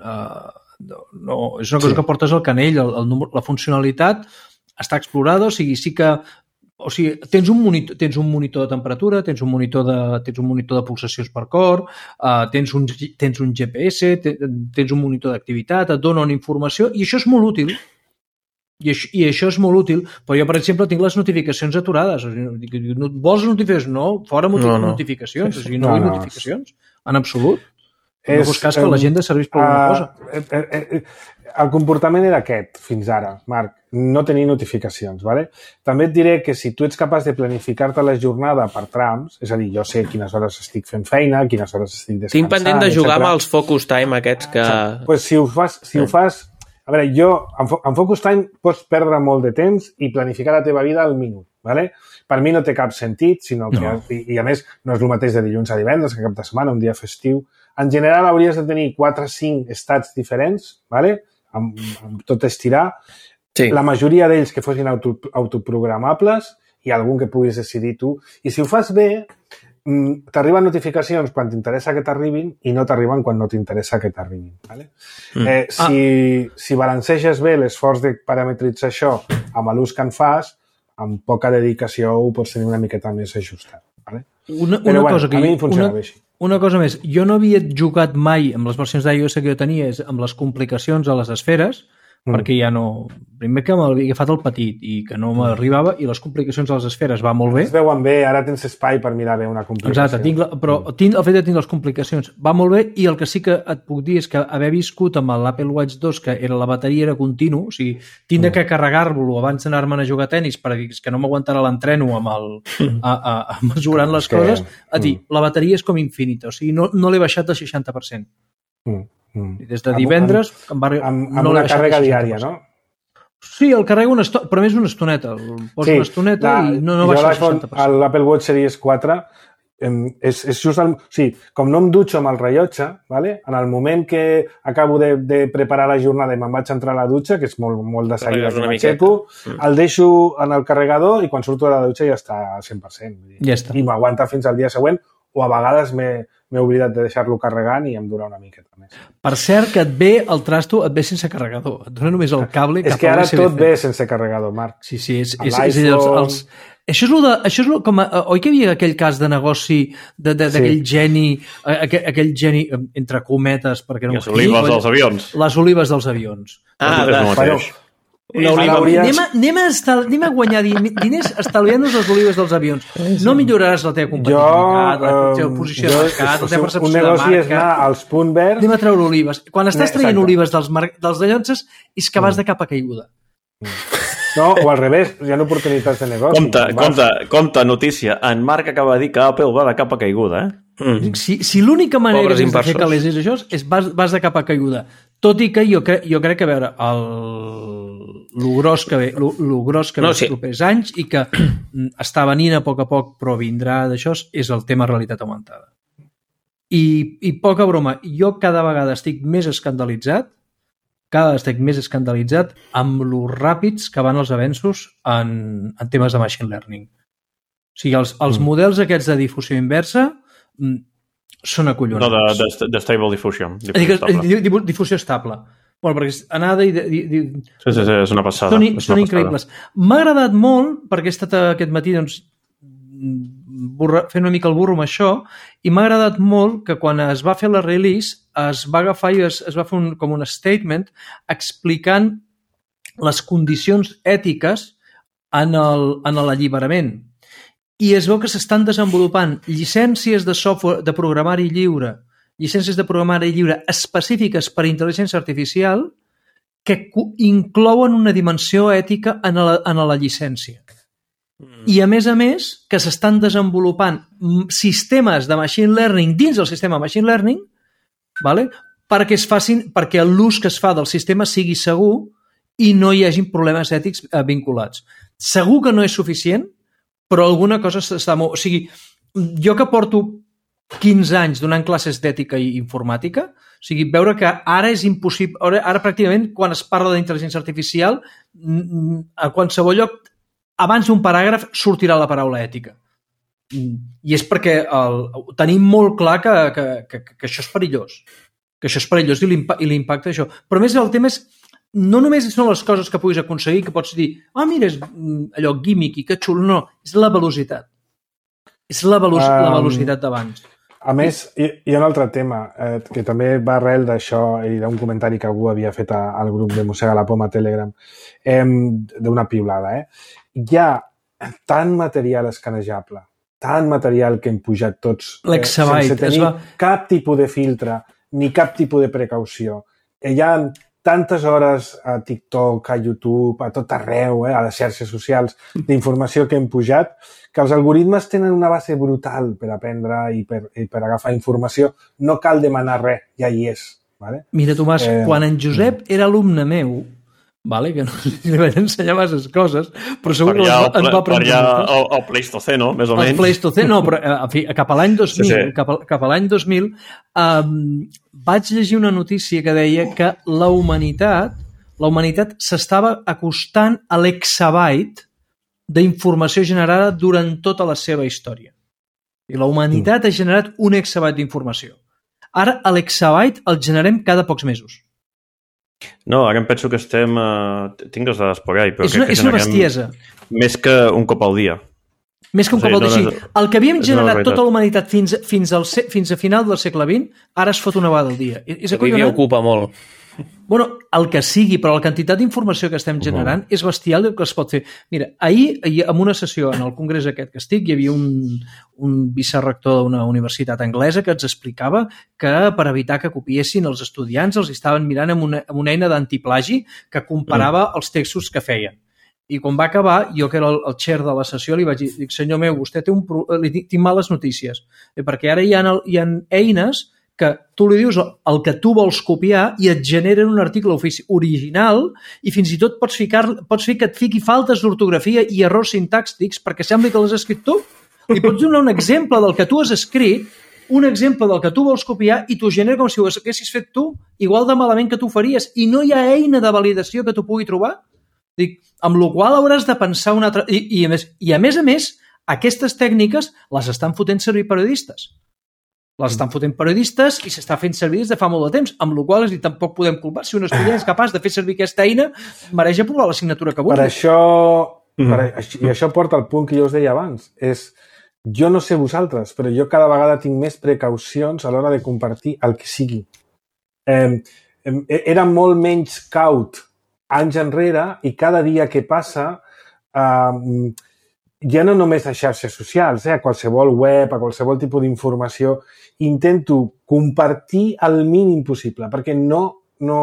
Uh, no, és una cosa sí. que portes al canell, el, el número, la funcionalitat està explorada, o sigui, sí que o sigui, tens un monitor, tens un monitor de temperatura, tens un monitor de, tens un monitor de pulsacions per cor, uh, tens, un, tens un G P S, tens un monitor d'activitat, et dona una informació i això és molt útil. I això, I això és molt útil, però jo, per exemple, tinc les notificacions aturades. O sigui, no, vols notificacions? No, fora no, no. notificacions. O sigui, no, no vull no. notificacions, en absolut. No és, fos cas que l'agenda serveix per alguna cosa. Uh, eh, eh, el comportament era aquest, fins ara, Marc, no tenir notificacions. Vale? També et diré que si tu ets capaç de planificar-te la jornada per trams, és a dir, jo sé quines hores estic fent feina, quines hores estic descansant... Tinc pendent de jugar etcètera amb els focus time aquests que... Doncs pues si ho fas... Si ho fas a veure, jo, en focus time pots perdre molt de temps i planificar la teva vida al minut. Vale? Per mi no té cap sentit, sinó que, no. i, i a més no és el mateix de dilluns a divendres, que cap de setmana, un dia festiu. En general hauries de tenir quatre o cinc estats diferents, vale? amb, amb tot estirar. Sí. La majoria d'ells que fossin auto, autoprogramables i algun que puguis decidir tu. I si ho fas bé, t'arriben notificacions quan t'interessa que t'arribin i no t'arriben quan no t'interessa que t'arribin. Vale? Mm. Eh, si, ah. si balanceges bé l'esforç de parametritzar això amb l'ús que en fas, amb poca dedicació ho pots tenir una miqueta més ajustat. Vale? Una, una Però, cosa bueno, que a mi em funcionava una, així. Una cosa més, jo no havia jugat mai amb les versions d'iOS que jo tenia amb les complicacions a les esferes, mm. perquè ja no... Primer que m'havia agafat el petit i que no m'arribava, i les complicacions a les esferes va molt bé. Es veuen bé, ara tens espai per mirar bé una complicació. Exacte, tinc la, però tinc, el fet de tenir les complicacions va molt bé, i el que sí que et puc dir és que haver viscut amb l'Apple Watch dos, que era la bateria era continu, o sigui, tinc mm. que carregar-lo abans d'anar-me'n a jugar a tenis perquè és que no m'aguantarà l'entreno amb el, a, a, a mesurant les que, coses, a dir, mm. la bateria és com infinita, o sigui, no, no l'he baixat del seixanta per cent. Mm. Mm. I des de divendres amb, amb, amb, amb no una càrrega diària, no? Sí, el carrego una estona, però més una estoneta. El poso sí, una estoneta la, i no, no baixa el seixanta per cent. L'Apple Watch Series quatre em, és, és just el... Sí, com no em dutxo amb el rellotge, ¿vale? En el moment que acabo de, de preparar la jornada i me'n vaig entrar a la dutxa, que és molt, molt de seguida que m'aixeco, mm. el deixo en el carregador i quan surto de la dutxa ja està al cent per cent. Ja està. I m'aguanta fins al dia següent, o a vegades m'he m'he oblidat de deixar-lo carregant i em dura una miqueta més. Per cert, que et ve el trasto, et ve sense carregador. Et dona només el cable. És que ara tot ve sense carregador, Marc. Sí, sí, és, és, és, és els, els... Això és, de, això és lo, com a, oi que hi havia aquell cas de negoci d'aquell sí. geni, aquell, aquell geni, entre cometes, perquè no... Les olives dels avions. Les olives dels avions. Ah, de, bueno, una oliva. Anem, a, anem, a estal, anem a guanyar diners estalviant-nos les olives dels avions. No milloraràs la teva competitivitat, la teva posició de mercat, la teva percepció de marca. Un negoci és anar als punt verd... Anem a treure olives. Quan estàs traient Exacte. olives dels, mar... dels dallonses és que vas de capa caiguda. No, o al revés, hi ha oportunitats de negoci. Compte, compte, compte, notícia. En Marc acaba de dir que Apple va de capa caiguda, eh? Mm. Si, si l'única manera Pobres que tens de fer calés és això, és vas, vas de capa caiguda. Tot i que jo, cre jo crec que, a veure, el, lo gros que ve, lo, lo gros que ve no, sí. els propers anys i que està venint a poc a poc, però vindrà d'això, és el tema realitat augmentada. I, I poca broma, jo cada vegada estic més escandalitzat cada estic més escandalitzat amb lo ràpids que van els avenços en, en temes de machine learning. O sigui, els, els mm. models aquests de difusió inversa mm, són acollonats. No, de, de, de stable diffusion. Difusió estable. Difusió estable. Bueno, perquè anada i... i, i sí, sí, sí, és una passada. Són, és són una increïbles. M'ha agradat molt, perquè he estat aquest matí doncs, burra, fent una mica el burro amb això, i m'ha agradat molt que quan es va fer la release es va agafar i es, es va fer un, com un statement explicant les condicions ètiques en l'alliberament. I es veu que s'estan desenvolupant llicències de software de programari lliure, llicències de programari lliure específiques per a intel·ligència artificial que inclouen una dimensió ètica en la, en la llicència. Mm. I, a més a més, que s'estan desenvolupant sistemes de machine learning dins del sistema machine learning, vale? perquè es facin, perquè l'ús que es fa del sistema sigui segur i no hi hagin problemes ètics vinculats. Segur que no és suficient, però alguna cosa s'està molt... O sigui, jo que porto quinze anys donant classes d'ètica i informàtica, o sigui, veure que ara és impossible... Ara, ara pràcticament, quan es parla d'intel·ligència artificial, a qualsevol lloc, abans d'un paràgraf, sortirà la paraula ètica. I és perquè el, tenim molt clar que, que, que, que això és perillós. Que això és perillós i l'impacte d'això. Però a més el tema és no només són les coses que puguis aconseguir, que pots dir, ah, mira, és allò gimmick i que xulo, no, és la velocitat. És la, velo um, la velocitat d'abans. A més, hi, hi ha un altre tema eh, que també va arrel d'això i d'un comentari que algú havia fet a, al grup de Mossega la Poma a Telegram, eh, d'una piulada. Eh? Hi ha tant material escanejable, tant material que hem pujat tots eh, sense tenir va... cap tipus de filtre ni cap tipus de precaució. Hi ha tantes hores a TikTok, a YouTube, a tot arreu, eh, a les xarxes socials, d'informació que hem pujat, que els algoritmes tenen una base brutal per aprendre i per, i per agafar informació. No cal demanar res, ja hi és. Vale? Mira, Tomàs, eh... quan en Josep era alumne meu, vale, que no li vaig ensenyar masses coses, però segur que ens va aprendre. Per allà el, el Pleistoceno, més o menys. El Pleistoceno, no, però en fi, cap a l'any dos mil, sí, sí. Cap, a, cap a l'any dos mil, um, vaig llegir una notícia que deia que la humanitat, la humanitat s'estava acostant a l'exabyte d'informació generada durant tota la seva història. I la humanitat mm. ha generat un exabyte d'informació. Ara, l'exabyte el generem cada pocs mesos. No, ara em penso que estem... Uh, tinc les dades por ahí, però és una, crec que és una bestiesa. Més que un cop al dia. Més que un o sigui, cop al dia. No, sí. El que havíem generat no tota la humanitat fins, fins, al, fins a final del segle vint, ara es fot una vegada al dia. És Avui m'hi ocupa molt. Bueno, el que sigui, però la quantitat d'informació que estem generant uh-huh. és bestial el que es pot fer. Mira, ahir, ahir, en una sessió en el congrés aquest que estic, hi havia un, un vicerrector d'una universitat anglesa que ens explicava que per evitar que copiessin els estudiants els estaven mirant amb una, amb una eina d'antiplagi que comparava uh-huh. els textos que feien. I quan va acabar, jo que era el, el chair de la sessió, li vaig dir, dic, senyor meu, vostè té un pro... li dic, tinc males notícies, perquè ara hi ha, hi ha eines que tu li dius el que tu vols copiar i et generen un article original i fins i tot pots, ficar, pots fer que et fiqui faltes d'ortografia i errors sintàctics perquè sembli que l'has escrit tu. Li pots donar un exemple del que tu has escrit, un exemple del que tu vols copiar i t'ho genera com si ho haguessis fet tu, igual de malament que tu faries, i no hi ha eina de validació que tu pugui trobar. Dic, amb la qual hauràs de pensar una altra... I, i, a més, I a més a més, aquestes tècniques les estan fotent servir periodistes. Les estan fotent periodistes i s'està fent servir des de fa molt de temps, amb la qual cosa tampoc podem culpar. Si un estudiant és capaç de fer servir aquesta eina, mereix aprovar l'assignatura que vulgui. Per això, mm. per, i això porta al punt que jo us deia abans, és, jo no sé vosaltres, però jo cada vegada tinc més precaucions a l'hora de compartir el que sigui. Eh, eh, era molt menys caut anys enrere i cada dia que passa... Eh, ja no només a xarxes socials, eh, a qualsevol web, a qualsevol tipus d'informació, intento compartir el mínim possible, perquè no, no,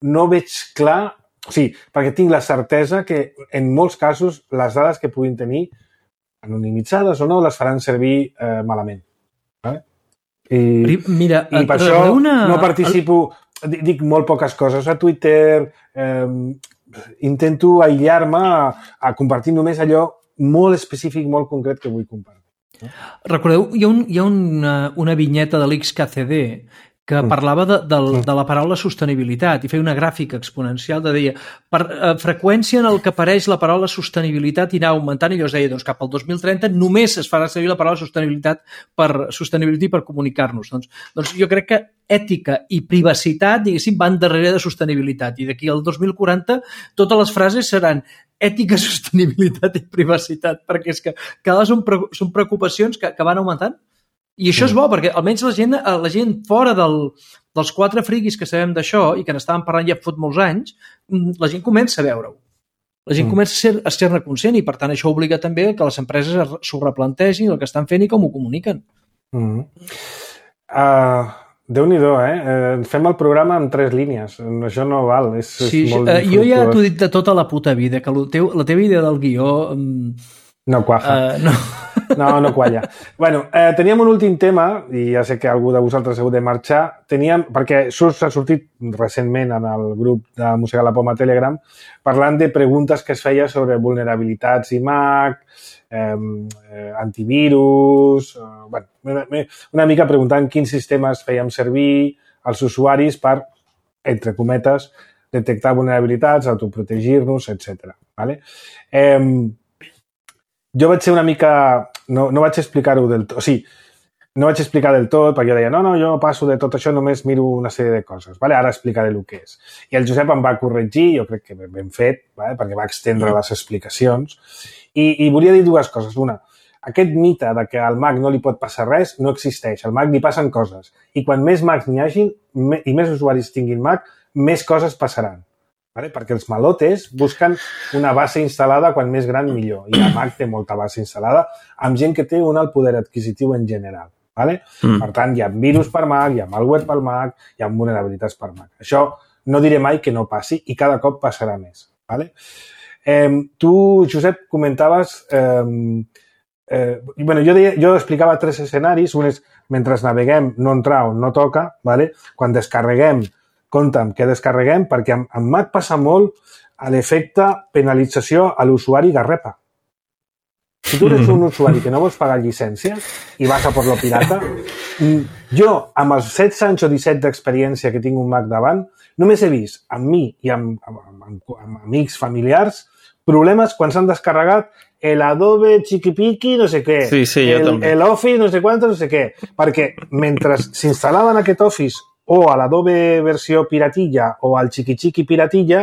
no veig clar, o sigui, perquè tinc la certesa que en molts casos les dades que puguin tenir, anonimitzades o no, les faran servir eh, malament. Vale? I, Mira, i per això una... no participo, dic molt poques coses a Twitter, eh, intento aïllar-me a, a compartir només allò molt específic, molt concret que vull compartir. Recordeu, hi ha, un, hi ha una, una vinyeta de l'X K C D que mm. parlava de, de, de la paraula sostenibilitat i feia una gràfica exponencial de deia per eh, freqüència en el que apareix la paraula sostenibilitat i anar augmentant i llavors deia doncs cap al dos mil trenta només es farà servir la paraula sostenibilitat per sostenibilitat per comunicar-nos. Doncs, doncs jo crec que ètica i privacitat, diguéssim, van darrere de sostenibilitat i d'aquí al dos mil quaranta totes les frases seran ètica, sostenibilitat i privacitat, perquè és que cada són, pre són preocupacions que, que van augmentant. I això és bo, perquè almenys la gent, la gent fora del, dels quatre friquis que sabem d'això i que n'estàvem parlant ja fot molts anys, la gent comença a veure-ho. la gent mm. comença a, ser, a ser-ne conscient i, per tant, això obliga també que les empreses s'ho replantegin el que estan fent i com ho comuniquen. Mm. Uh, Déu-n'hi-do, eh? Uh, fem el programa en tres línies. Això no val. És, sí, és molt uh, jo ja t'ho he dit de tota la puta vida, que la, teu, la teva idea del guió... Um, no quafa. Uh, no... no, no qualla. Bueno, eh, teníem un últim tema, i ja sé que algú de vosaltres heu de marxar, teníem, perquè s'ha sortit recentment en el grup de Mossegar la Poma Telegram, parlant de preguntes que es feia sobre vulnerabilitats i Mac, eh, eh, antivirus... Eh, bueno, una, una mica preguntant quins sistemes fèiem servir als usuaris per, entre cometes, detectar vulnerabilitats, autoprotegir-nos, etcètera. Vale? Eh, jo vaig ser una mica... No, no vaig explicar-ho del tot. O sigui, no vaig explicar del tot, perquè jo deia, no, no, jo passo de tot això, només miro una sèrie de coses. Vale? Ara explicaré el que és. I el Josep em va corregir, jo crec que ben fet, vale? Perquè va extendre les explicacions. I, I volia dir dues coses. Una, aquest mite de que al Mac no li pot passar res no existeix. Al Mac li passen coses. I quan més Macs n'hi hagin i més usuaris tinguin Mac, més coses passaran. Vale? Perquè els malotes busquen una base instal·lada quan més gran millor. I la Mac té molta base instal·lada amb gent que té un alt poder adquisitiu en general. Vale? Mm. Per tant, hi ha virus per Mac, hi ha malware per Mac, hi ha vulnerabilitats per Mac. Això no diré mai que no passi i cada cop passarà més. Vale? Eh, tu, Josep, comentaves... Eh, eh, bueno, jo, deia, jo explicava tres escenaris. Un és, mentre naveguem, no entrar on no toca. Vale? Quan descarreguem, compta'm què descarreguem, perquè en Mac passa molt a l'efecte penalització a l'usuari garrepa. Si tu eres un usuari que no vols pagar llicència i vas a per lo pirata, jo, amb els setze anys o disset d'experiència que tinc un Mac davant, només he vist amb mi i amb, amb, amb, amb amics familiars problemes quan s'han descarregat el Adobe Chiquipiqui, no sé què, sí, sí, el, el Office, no sé quant, no sé què, perquè mentre s'instal·laven aquest Office o a l'Adobe versió piratilla o al Chiqui-Chiqui piratilla,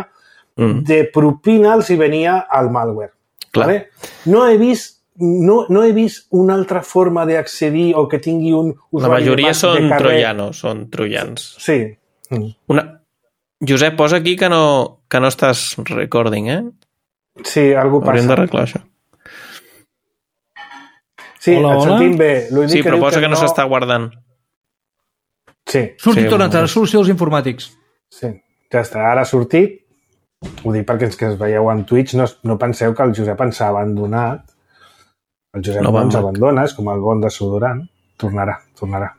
mm. de propina els hi venia el malware. Vale? No he vist no, no he vist una altra forma d'accedir o que tingui un usuari. La majoria són troianos, són troians. Sí. Mm. Una... Josep, posa aquí que no, que no estàs recording, eh? Sí, algú passa. Hauríem d'arreglar això. Sí, hola, et hola? Sentim bé. Sí, però posa que, que no, no s'està guardant. Sí. Sortit sí, tornat a la solució dels informàtics. Sí, ja està. Ara ha sortit. Ho dic perquè els que es veieu en Twitch no, no penseu que el Josep ens ha abandonat. El Josep no, no ens abandona, és com el bon desodorant. Tornarà, tornarà.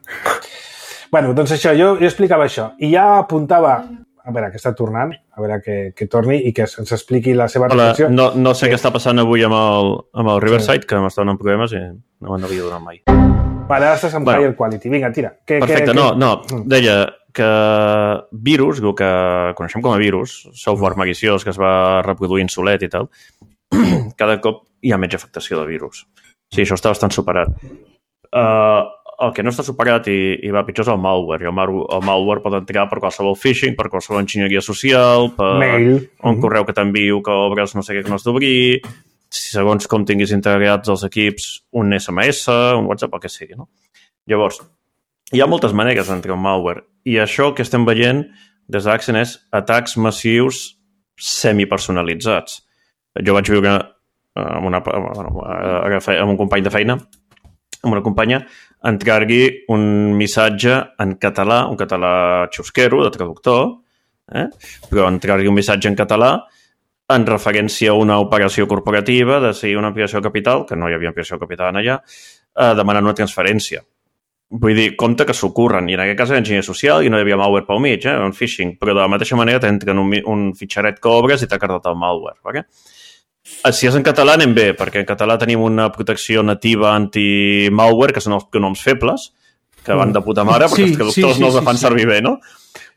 Bueno, doncs això, jo, jo explicava això. I ja apuntava, a veure, que està tornant, a veure que, que torni i que ens expliqui la seva Hola, reflexió. no, no sé sí. què està passant avui amb el, amb el Riverside, sí. que m'estan en problemes i no me'n havia donat mai. Vale, ara estàs en bueno, Higher Quality. Vinga, tira. Que, perfecte, que, no, que... no. Deia que virus, el que coneixem com a virus, software maliciós que es va reproduint solet i tal, cada cop hi ha menys afectació de virus. Sí, això està bastant superat. Uh, el que no està superat i, i va pitjor és el malware. I el, mal, el malware pot entrar per qualsevol phishing, per qualsevol enginyeria social, per Mail. un mm-hmm. correu que t'envio que obres no sé què que no has d'obrir, si segons com tinguis integrats els equips un esse eme esse, un WhatsApp, el que sigui, no? Llavors, hi ha moltes maneres d'entrar un malware i això que estem veient des d'Axen és atacs massius semipersonalitzats. Jo vaig viure amb, una, bueno, amb un company de feina, amb una companya, entrar-hi un missatge en català, un català xusquero, de traductor, eh? però entrar-hi un missatge en català en referència a una operació corporativa de si una ampliació de capital, que no hi havia ampliació de capital allà, eh, demanant una transferència. Vull dir, compte que s'ocorren. I en aquest cas era enginyer social i no hi havia malware pel mig, eh, un phishing. Però de la mateixa manera t'entren un, un fitxaret que obres i t'ha cardat el malware. Okay? Si és en català anem bé, perquè en català tenim una protecció nativa anti-malware, que són els pronoms febles, que van de puta mare, perquè sí, els traductors sí, sí, no els sí, fan sí. servir bé, no?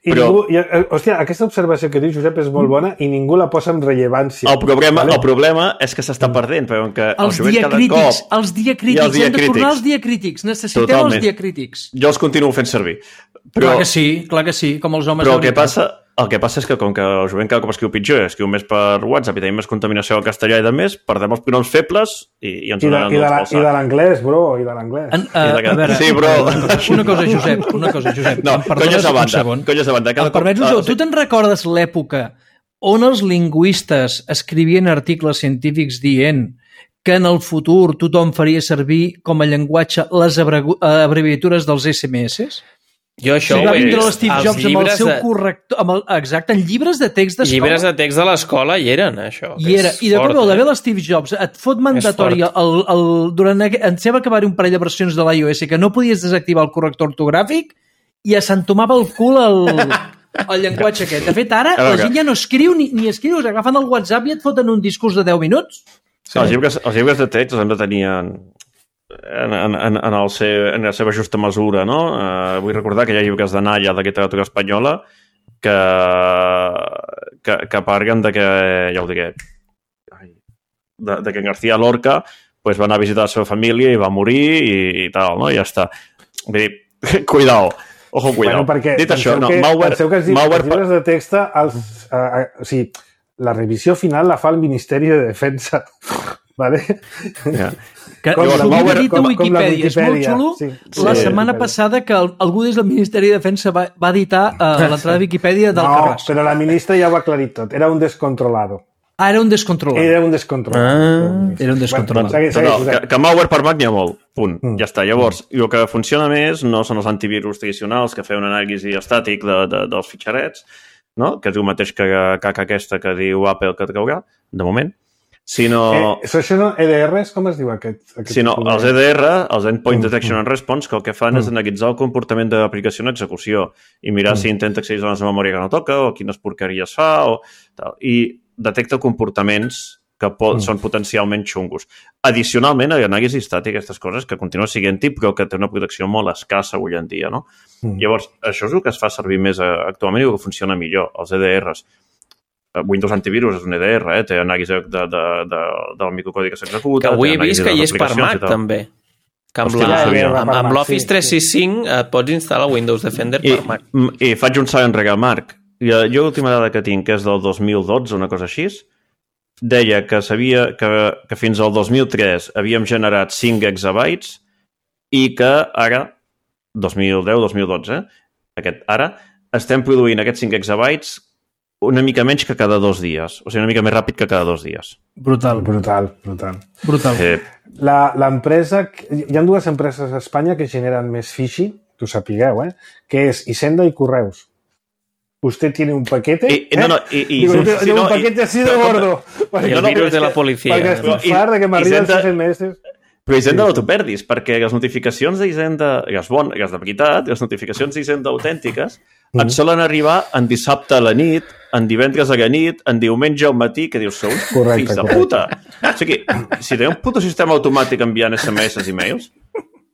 I però... ningú, i, hòstia, aquesta observació que diu Josep és molt bona i ningú la posa en rellevància. El problema, vale? el problema és que s'està perdent, però que els el diacrítics, cop... els diacrítics, els hem de tornar als diacrítics. Necessitem Totalment. els diacrítics. Jo els continuo fent servir. Però... Clar que sí, clar que sí, com els homes. Però el que passa, el que passa és que com que el jovent cada cop escriu pitjor, escriu més per WhatsApp i tenim més contaminació al castellà i de més, perdem els pronoms febles i, i ens donen els palsats. I de l'anglès, bro, i de l'anglès. Uh, a veure, sí, bro. Una cosa, Josep, una cosa, Josep. No, conyes a banda, conyes a banda. Em permets, Josep, tu te'n recordes l'època on els lingüistes escrivien articles científics dient que en el futur tothom faria servir com a llenguatge les abreviatures dels esse eme esse? Jo això sí, ho va he vindre vist. l'Steve Jobs amb el seu de... corrector... Amb el, exacte, en llibres de text d'escola. Llibres de text de l'escola hi eren, això. I, era, i de cop i volta l'Steve Jobs et fot mandatori el, el, durant en seva acabar un parell de versions de l'iOS que no podies desactivar el corrector ortogràfic i s'entomava el cul el, el llenguatge aquest. De fet, ara la gent ja no escriu ni, ni escriu, agafen el WhatsApp i et foten un discurs de deu minuts. Sí. Els, llibres, els llibres de text els hem de tenir en, en, en, en, el seu, en la seva justa mesura, no? Uh, vull recordar que hi ha llibres de Nalla de literatura espanyola que, que, que parlen de que, ja ho diré, de, de que García Lorca pues, va anar a visitar la seva família i va morir i, i tal, no? I ja està. Vull dir, cuidao. Ojo, cuidao. Bueno, perquè dit això, no, que, Mauer... Penseu que els, Mauer... els llibres de text, els, uh, uh, o sigui, la revisió final la fa el Ministeri de Defensa, ¿vale? Yeah. Que com, la Mauer, dit a Wikipedia, és molt xulo. Sí, sí, la setmana sí, passada que algú des del Ministeri de Defensa va, va editar uh, l'entrada de Wikipedia del no, Carràs. Però la ministra ja ho ha aclarit tot. Era un descontrolado. Ah, era un descontrolado. Era un descontrolado. Ah, era un descontrolado. Bueno, segueix, segueix, no, que, que malware per Mac n'hi ha molt. Punt. Mm. Ja està. Llavors, el que funciona més no són els antivirus tradicionals que feien un anàlisi estàtic de, de, dels fitxarets, no? Que és el mateix que caca aquesta que diu Apple que traurà, de moment, sinó... Eh, això no, E D Rs, com es diu aquest? aquest sinó els E D R, els Endpoint Detection and Response, que el que fan mm. és analitzar el comportament de l'aplicació en execució i mirar mm. si intenta accedir a la memòria que no toca o quines porqueries fa o tal. I detecta comportaments que pot, mm. són potencialment xungos. Addicionalment, hi ha anàlisi estàtica, aquestes coses que continua sent-hi, però que té una protecció molt escassa avui en dia, no? Mm. Llavors, això és el que es fa servir més actualment i el que funciona millor, els E D Rs. Windows Antivirus és un E D R, eh? Té anàlisi de, de, de, del microcodi que s'executa. Que avui he vist que hi és per Mac, també. Que amb, la, amb, amb l'Office tres sis cinc et pots instal·lar Windows Defender I, per Mac. I faig un salt enrere, Marc. Jo l'última dada que tinc, que és del dos mil dotze, una cosa així, deia que sabia que, que fins al dos mil tres havíem generat cinc exabytes i que ara, dos mil deu dos mil dotze, aquest, ara, estem produint aquests cinc exabytes una mica menys que cada dos dies. O sigui, una mica més ràpid que cada dos dies. Brutal. Brutal, brutal. Brutal. Eh. L'empresa... Hi ha dues empreses a Espanya que generen més phishing, tu sapigueu, eh? Que és Hisenda i Correus. Usted tiene un paquete... I, eh? No, no, i... i Digo, sí, sí, no, un paquete i, así de gordo. I el virus de la policia. Perquè estufar de que m'arriben els S M S... Però Hisenda no t'ho perdis, perquè les notificacions d'Hisenda, les bones, les de veritat, les notificacions d'Hisenda autèntiques, mm. et solen arribar en dissabte a la nit, en divendres a la nit, en diumenge al matí, que dius, sou fills de puta. O sigui, si teniu un puto sistema automàtic enviant S M S i mails,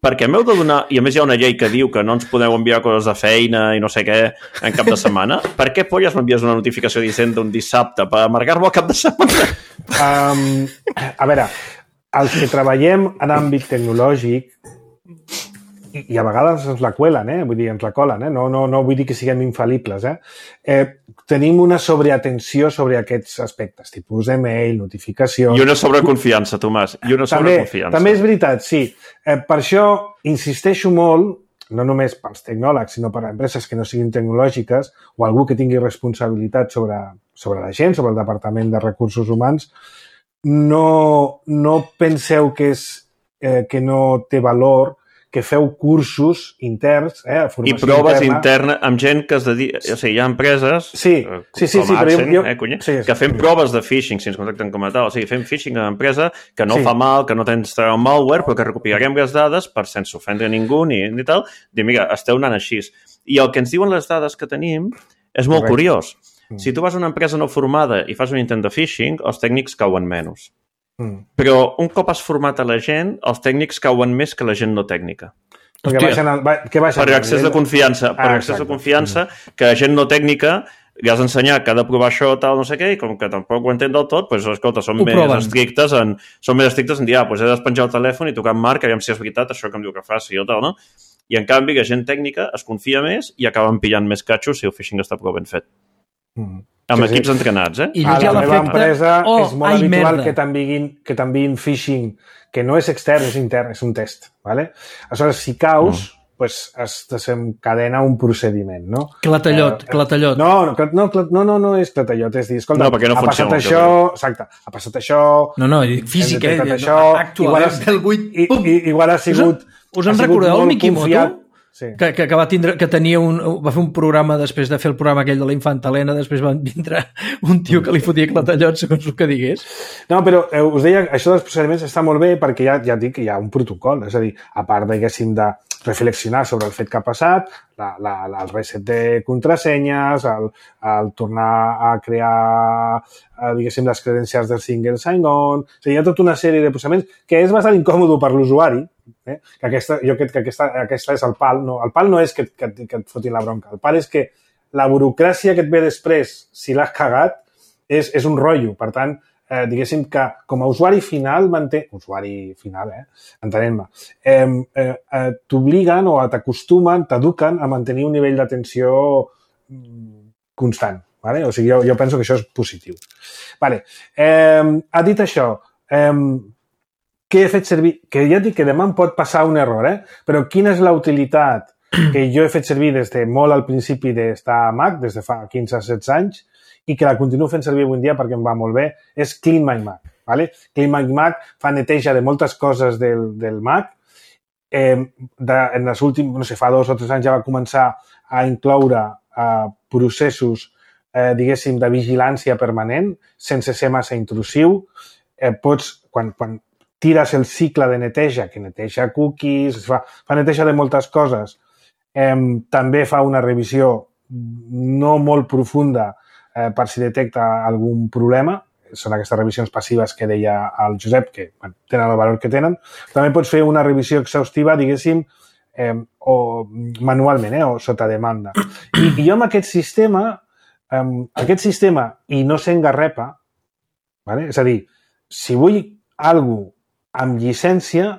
perquè m'heu de donar, i a més hi ha una llei que diu que no ens podeu enviar coses de feina i no sé què en cap de setmana, per què polles m'envies una notificació d'Hisenda un dissabte per amargar-me al cap de setmana? Um, a veure, els que treballem en àmbit tecnològic i, i a vegades ens la cuelen, eh? Vull dir, ens la colen, eh? No, no, no vull dir que siguem infal·libles, eh? eh? Tenim una sobreatenció sobre aquests aspectes, tipus de mail, notificacions... I una sobreconfiança, Tomàs, i una sobreconfiança. També, també és veritat, sí. Eh, per això insisteixo molt, no només pels tecnòlegs, sinó per a empreses que no siguin tecnològiques o algú que tingui responsabilitat sobre, sobre la gent, sobre el Departament de Recursos Humans. No, no penseu que, és, eh, que no té valor que feu cursos interns, eh, formació I proves interna, interna amb gent que es dedica... O sigui, hi ha empreses sí, sí, sí, com sí, Adsen, jo, eh, cunya, sí, que fem sí. proves de phishing, si ens contacten com a tal. O sigui, fem phishing a l'empresa que no sí. fa mal, que no tens treure malware, però que recuperarem les dades per sense ofendre ningú ni, ni tal. Dir, mira, esteu anant així. I el que ens diuen les dades que tenim és molt Correcte. Curiós. Mm. Si tu vas a una empresa no formada i fas un intent de phishing, els tècnics cauen menys. Mm. Però un cop has format a la gent, els tècnics cauen més que la gent no tècnica. Perquè baixen el, que baixen per accés de confiança, per ah, accés de confiança que gent no tècnica li has d'ensenyar que ha de provar això, tal, no sé què, i com que tampoc ho entén del tot, doncs, escolta, són més proven. estrictes en, són més estrictes en dir, ah, doncs he despenjar el telèfon i tocar en Marc, aviam si és veritat això que em diu que faci o tal, no? I en canvi, la gent tècnica es confia més i acaben pillant més catxos si el phishing està prou ben fet. Mm. Amb sí, equips sí. entrenats, eh? I a la meva empresa oh, és molt ai, habitual merda. que t'enviïn que t'enviïn phishing que no és extern, és intern, és un test, ¿vale? Aleshores, si caus, mm. pues, es desencadena un procediment, no? Clatallot, eh, clatallot. No, no, no, no, no, no és clatallot, és dir, escolta, no, perquè no ha funciona, passat això, exacte, ha passat això... No, no, física, eh? Això, actual, igual, eh? Del vuit, i, i, igual ha sigut... Us en recordeu el Mikimoto? Sí. Que, que, que, va tindre, que tenia un, va fer un programa després de fer el programa aquell de la infanta Helena, després va vindre un tio que li fotia clatallot segons el que digués. No, però eh, us deia, això dels procediments està molt bé perquè ja, ja dic que hi ha un protocol, és a dir, a part, diguéssim, de reflexionar sobre el fet que ha passat, la, la, la, el reset de contrasenyes, el, el tornar a crear, eh, diguéssim, les credencials del single sign-on, o sigui, hi ha tota una sèrie de procediments que és bastant incòmode per l'usuari, eh? que aquesta, jo crec que aquesta, aquesta és el pal, no, el pal no és que, que, que et fotin la bronca, el pal és que la burocràcia que et ve després, si l'has cagat, és, és un rotllo, per tant, eh, diguéssim que com a usuari final, manté... usuari final, eh? entenent-me, eh, eh, eh, t'obliguen o t'acostumen, t'eduquen a mantenir un nivell d'atenció constant. Vale? O sigui, jo, jo penso que això és positiu. Vale. Eh, ha dit això, eh, què he fet servir? Que ja dic que demà em pot passar un error, eh? Però quina és la utilitat que jo he fet servir des de molt al principi d'estar a Mac, des de fa quinze a setze anys, i que la continuo fent servir avui en dia perquè em va molt bé, és Clean My Mac. Vale? Clean My Mac fa neteja de moltes coses del, del Mac. Eh, de, en els últims, no sé, fa dos o tres anys ja va començar a incloure eh, processos, eh, diguéssim, de vigilància permanent, sense ser massa intrusiu. Eh, pots, quan, quan tires el cicle de neteja, que neteja cookies, fa, fa neteja de moltes coses, eh, també fa una revisió no molt profunda eh, per si detecta algun problema. Són aquestes revisions passives que deia el Josep, que bueno, tenen el valor que tenen. També pots fer una revisió exhaustiva, diguéssim, eh, o manualment, eh, o sota demanda. I, i jo amb aquest sistema, eh, aquest sistema, i no s'engarrepa, vale? És a dir, si vull alguna cosa amb llicència,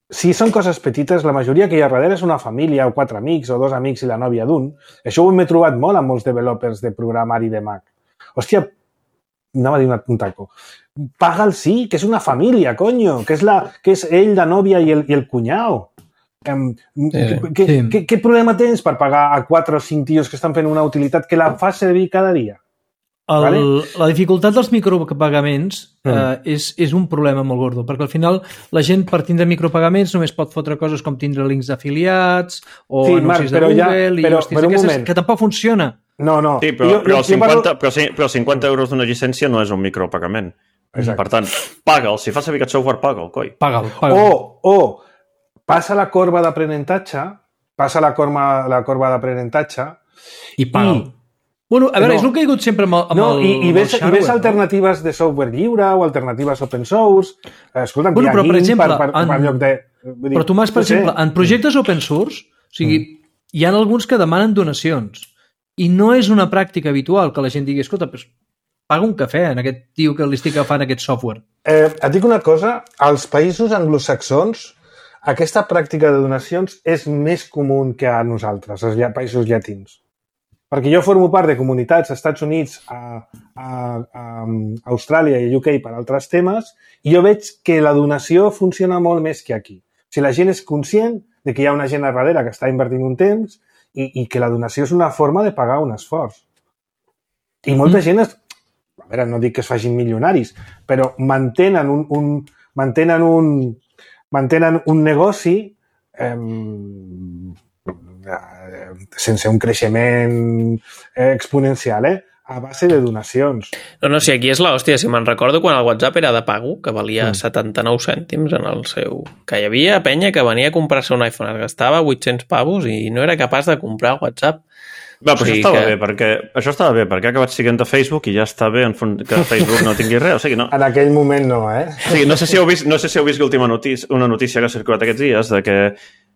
si són coses petites, la majoria que hi ha darrere és una família o quatre amics o dos amics i la nòvia d'un. Això ho hem trobat molt amb molts developers de programari de Mac. Hòstia, anava a dir un taco. Paga'l sí, que és una família, conyo, que és, la, que és ell, la nòvia i el, i el cunyau. Um, sí, què, sí. Què, què problema tens per pagar a quatre o cinc tios que estan fent una utilitat que la fa servir cada dia? El, vale? La dificultat dels micropagaments mm. eh, és, és un problema molt gordo, perquè al final la gent per tindre micropagaments només pot fotre coses com tindre links d'afiliats o sí, anuncis Marc, de Google ja, i però, hostis, però aquestes, que tampoc funciona. No, no. Sí, però, jo, però, jo, cinquanta, jo però, però cinquanta euros d'una llicència no és un micropagament. Exacte. Per tant, paga'l. Si fas servir aquest software, paga'l, coi. Paga'l, paga'l. O, o passa la corba d'aprenentatge, passa la corba, la corba d'aprenentatge i paga'l. I Bueno, a veure, no. és el que he hagut sempre amb el, amb no, el, i, i ves, el i ves alternatives de software lliure o alternatives open source. Escolta, bueno, però, per exemple, per, per, en, per lloc de... Dir, però Tomàs, per no sé. exemple, en projectes open source, o sigui, mm. hi ha alguns que demanen donacions i no és una pràctica habitual que la gent digui, escolta, pues, paga un cafè en aquest tio que li estic agafant aquest software. Eh, et dic una cosa, als països anglosaxons aquesta pràctica de donacions és més comú que a nosaltres, als països llatins. Perquè jo formo part de comunitats als Estats Units, a, a, a Austràlia i a U K per altres temes, i jo veig que la donació funciona molt més que aquí. O sigui, la gent és conscient de que hi ha una gent a darrere que està invertint un temps i, i que la donació és una forma de pagar un esforç. I molta mm. gent, es, a veure, no dic que es facin milionaris, però mantenen un, un, mantenen un, mantenen un negoci eh, sense un creixement exponencial, eh? A base de donacions. No, no, si aquí és l'hòstia. Si me'n recordo quan el WhatsApp era de pago, que valia mm. setanta-nou cèntims en el seu... Que hi havia penya que venia a comprar-se un iPhone, es gastava vuit-cents pavos i no era capaç de comprar WhatsApp. Va, però o sigui això estava que... bé, perquè això estava bé, perquè ha acabat siguent a Facebook i ja està bé en font que Facebook no tingui res, o sigui, no... En aquell moment no, eh? O sigui, no sé si heu vist, no sé si heu vist l'última notícia, una notícia que ha circulat aquests dies de que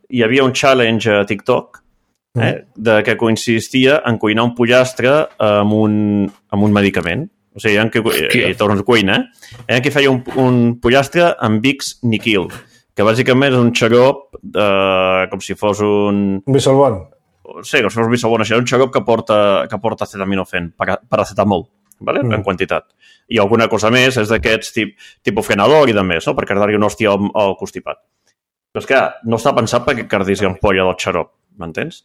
hi havia un challenge a TikTok eh, de que consistia en cuinar un pollastre amb un, amb un medicament. O sigui, en què, i tornes a cuina, eh? Que feia un, un pollastre amb Vicks Niquil, que bàsicament és un xarop eh, com si fos un... Un bisolbon. Sí, com si fos un bisolbon, això és un xarop que porta, que porta acetaminofén, paracetamol, ¿vale? Mm. En quantitat. I alguna cosa més és d'aquests tip, tipus frenador i de més, no? Per cardar-hi una hòstia al, al constipat. Però és que no està pensat perquè cardis ampolla del xarop, m'entens?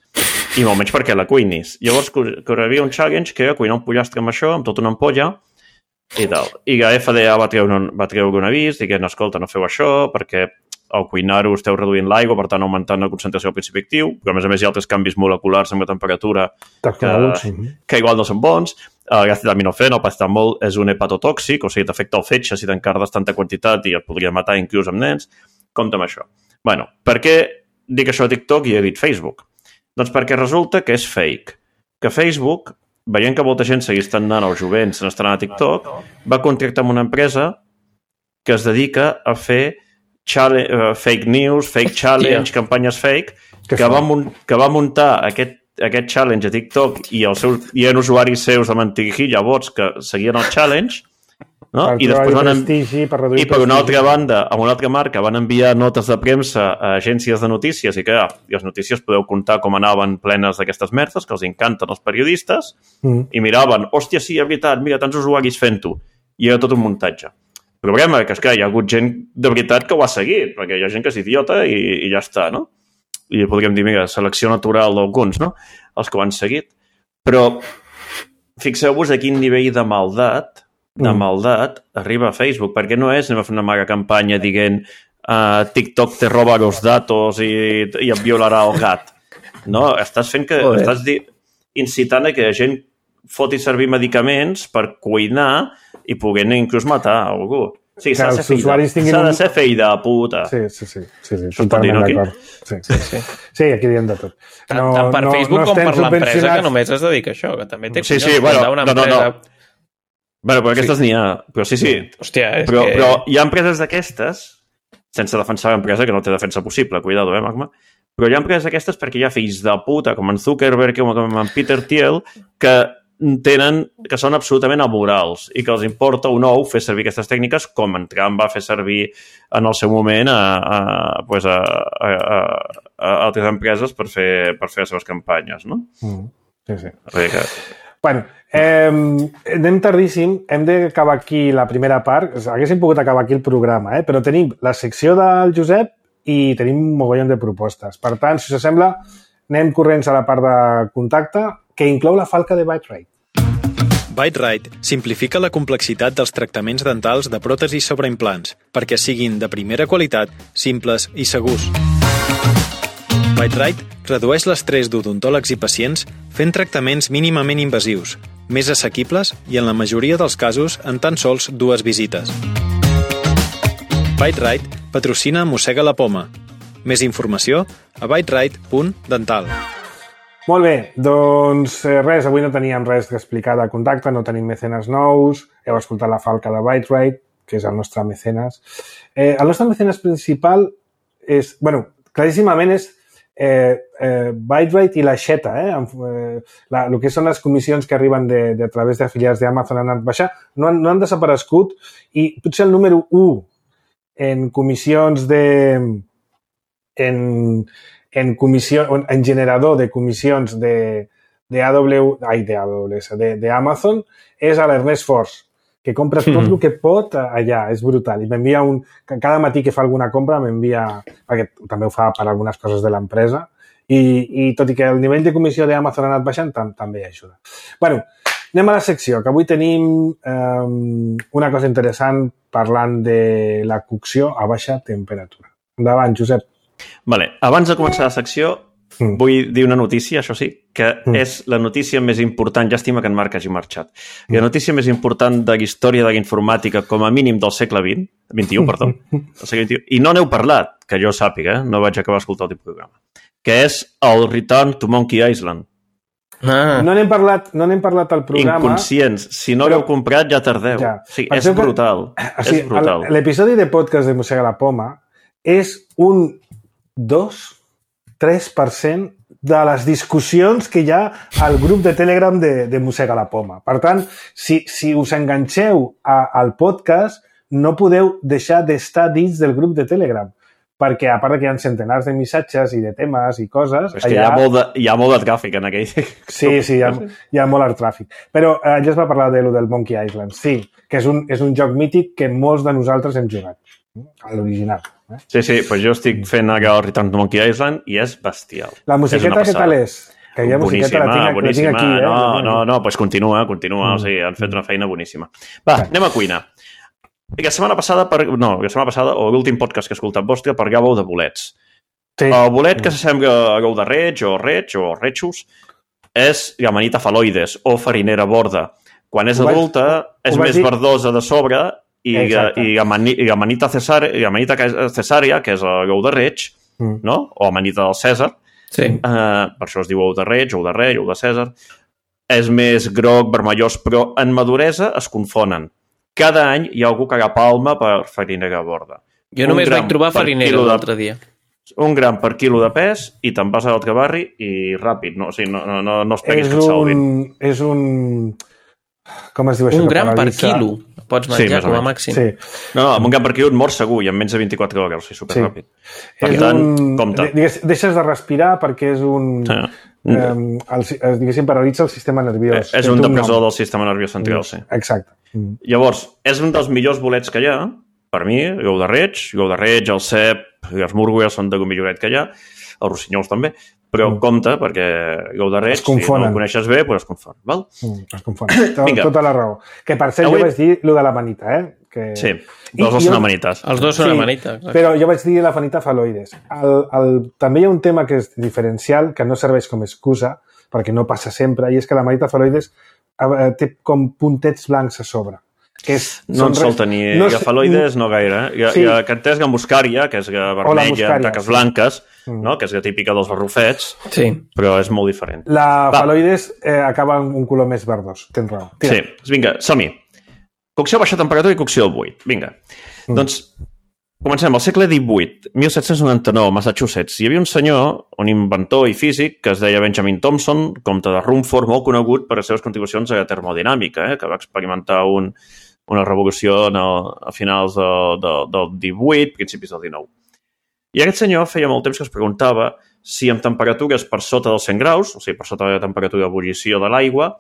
I molt menys perquè la cuinis. Llavors, que hi havia un challenge que era cuinar un pollastre amb això, amb tota una ampolla, i tal. I la F D A va treure un, va treure un avís dient, escolta, no feu això, perquè al cuinar-ho esteu reduint l'aigua, per tant augmentant la concentració del principi actiu, però a més a més hi ha altres canvis moleculars amb la temperatura que, que igual no són bons. El gas d'aminofeno, el paracetamol, és un hepatotòxic, o sigui, t'afecta el fetge si t'encardes tanta quantitat i et podria matar inclús amb nens. Compte amb això. Bueno, per què dic això a TikTok i he dit Facebook? Doncs perquè resulta que és fake. Que Facebook, veient que molta gent seguís anant als jovents, se n'estan a TikTok, va contractar amb una empresa que es dedica a fer challenge, uh, fake news, fake challenge, yeah. campanyes fake, que va, que va muntar aquest aquest challenge a TikTok i els seus, hi ha usuaris seus de mentirijilla, bots que seguien el challenge, no? I després van en... per i per una altra banda, a una altra marca van enviar notes de premsa a agències de notícies i que ja, i les notícies podeu comptar com anaven plenes d'aquestes merdes que els encanten els periodistes mm. i miraven, hòstia, sí, és veritat, mira, tants usuaris fent-ho, i era tot un muntatge. El problema és que hi ha hagut gent de veritat que ho ha seguit, perquè hi ha gent que és idiota i, i ja està, no? I podríem dir, mira, selecció natural d'alguns, no? Els que ho han seguit. Però fixeu-vos a quin nivell de maldat, de maldat arriba a Facebook, perquè no és, anem a fer una mega campanya dient uh, TikTok te roba los datos i, i et violarà el gat. No, estàs fent que... Joder. Estàs di, incitant a que la gent foti servir medicaments per cuinar i poder inclús matar algú. Sí, s'ha de, tinguin... de ser fill de puta. Sí, sí, sí. sí, sí totalment d'acord. Sí, sí, sí. sí, aquí diem de tot. No, tant per no, Facebook no com per l'empresa que només es dedica a això, que també té sí, sí, bueno, una no, empresa... No, no. Bueno, però aquestes sí. n'hi ha. Però sí, sí. Hòstia, és però, que... però hi ha empreses d'aquestes, sense defensar l'empresa, que no té defensa possible, cuidado, eh, Magma? Però hi ha empreses d'aquestes perquè hi ha fills de puta, com en Zuckerberg, com en Peter Thiel, que tenen, que són absolutament amorals i que els importa un ou fer servir aquestes tècniques com en Trump va fer servir en el seu moment a, a, pues a, a, a, a altres empreses per fer, per fer les seves campanyes, no? Mm, sí, sí. Que... Bueno, eh, anem tardíssim, hem d'acabar aquí la primera part, haguéssim pogut acabar aquí el programa, eh? Però tenim la secció del Josep i tenim un mogollon de propostes. Per tant, si us sembla, anem corrents a la part de contacte, que inclou la falca de BiteRite. BiteRite simplifica la complexitat dels tractaments dentals de pròtesis sobre implants perquè siguin de primera qualitat, simples i segurs. BiteRite redueix l'estrès d'odontòlegs i pacients fent tractaments mínimament invasius, més assequibles i en la majoria dels casos en tan sols dues visites. BiteRite patrocina Mossega la Poma. Més informació a biterite punt dental. Molt bé, doncs res, avui no teníem res d'explicar de contacte, no tenim mecenes nous, heu escoltat la falca de BiteRite, que és el nostre mecenes. Eh, el nostre mecenes principal és, bueno, claríssimament és eh, eh, BiteRite i la Xeta, eh? eh la, el que són les comissions que arriben de, de a través d'afiliats d'Amazon han anat baixar, no han, no han desaparegut i potser el número u en comissions de... en... en comissió, en generador de comissions de, de A W, ai, de A W S, de, de Amazon, és a l'Ernest Force, que compra tot mm-hmm. el que pot allà, és brutal. I m'envia un... Cada matí que fa alguna compra m'envia... Perquè també ho fa per algunes coses de l'empresa. I, I tot i que el nivell de comissió d'Amazon ha anat baixant, tam, també ajuda. Bueno, anem a la secció, que avui tenim um, una cosa interessant parlant de la cocció a baixa temperatura. Endavant, Josep. Vale. Abans de començar la secció, mm. vull dir una notícia, això sí, que mm. és la notícia més important, llàstima que en Marc hagi marxat, mm. la notícia més important de la història de la informàtica, com a mínim del segle vint, vint-i-u, perdó, del segle vint-i-u, i no n'heu parlat, que jo sàpiga, eh? No vaig acabar d'escoltar el programa, que és el Return to Monkey Island. Ah. No n'hem parlat, no n'hem parlat al programa. Inconscients. Si no l'heu comprat, ja tardeu. Ja. Sí, és brutal. Que, o sigui, és brutal. L'episodi de podcast de Mossega la Poma és un dos tres per cent de les discussions que hi ha al grup de Telegram de, de Mossega la Poma. Per tant, si, si us enganxeu a, al podcast, no podeu deixar d'estar dins del grup de Telegram, perquè a part que hi ha centenars de missatges i de temes i coses... És que allà... hi, ha molt de, hi ha molt de tràfic en aquell... Sí, sí, hi ha, hi ha molt de tràfic. Però eh, ja es va parlar de lo del Monkey Island, sí, que és un, és un joc mític que molts de nosaltres hem jugat, a l'original. Eh? Sí, sí, doncs jo estic fent ara el Return to Monkey Island i és bestial. La musiqueta què tal és? Que hi ha musiqueta, la tinc, la tinc aquí, eh? No, no, no, doncs continua, continua, mm. o sigui, han fet una feina boníssima. Va, sí. Anem a cuina. La setmana passada, per... no, la setmana passada, o l'últim podcast que he escoltat vostre, parlàveu de bolets. Sí. El bolet que s'assembla a l'ou de reig, o reig, o rechus, és Amanita phalloides, o farinera borda. Quan és adulta, és més dir... verdosa de sobre, i, i Amanita cesària, que és l'ou de reig, mm. no? O Amanita del Cèsar, sí. uh, per això es diu ou de reig, ou de rei, ou de Cèsar, és més groc, vermellós, però en maduresa es confonen. Cada any hi ha algú que agafa palma per farinera borda. Jo només vaig trobar farinera l'altre dia. Un gram per quilo de pes i te'n vas a l'altre barri i ràpid, no, o sigui, no, no, no esperis que et salvin. És un... Com es diu això? Un gram per quilo pots menjar sí, com a màxim. Sí. No, no, amb un gram per quilo et mors segur i en menys de vint-i-quatre hores, o sigui, superràpid. Sí. Per és tant, un... compte. Deixes de respirar perquè és un... Sí. Eh, el, diguéssim, paralitza el sistema nerviós. És un depressor del sistema nerviós central, sí. Exacte. Mm. Llavors, és un dels millors bolets que hi ha, per mi, l'ou de reig, l'ou de reig, el cep, les múrgues són de lo milloret que hi ha, els rossinyols també, però mm. compte, perquè l'ou de reig, si no el coneixes bé, doncs es confon. Val? Mm, es confon. Tot, tota la raó. Que per cert, Avui... jo vaig dir lo de l'amanita, eh? Que... Sí, els dos són amanites. Els dos són sí, amanites. Però jo vaig dir l'Amanita phalloides. El, el, també hi ha un tema que és diferencial, que no serveix com a excusa, perquè no passa sempre, i és que l'Amanita phalloides té com puntets blancs a sobre. Que és, no en sol tenir. No, faloides no gaire. Eh? Hi ha, sí. hi ha cantesga muscària, que és vermella, amb taques blanques, mm. no? Que és la típica dels barrufets, sí. però és molt diferent. La faloides eh, acaba amb un color més verdós. Tens raó. Tira. Sí, vinga, som-hi. Cocció a baixa temperatura i cocció al buit. Vinga. Mm. Doncs comencem. Al segle divuit, mil set-cents noranta-nou, Massachusetts, hi havia un senyor, un inventor i físic, que es deia Benjamin Thompson, comte de Rumford, molt conegut per les seves contribucions a la termodinàmica, eh? Que va experimentar un... una revolució el, a finals de, de, del divuit, principis del dinou. I aquest senyor feia molt temps que es preguntava si amb temperatures per sota dels cent graus, o sigui, per sota de la temperatura d'ebullició de l'aigua,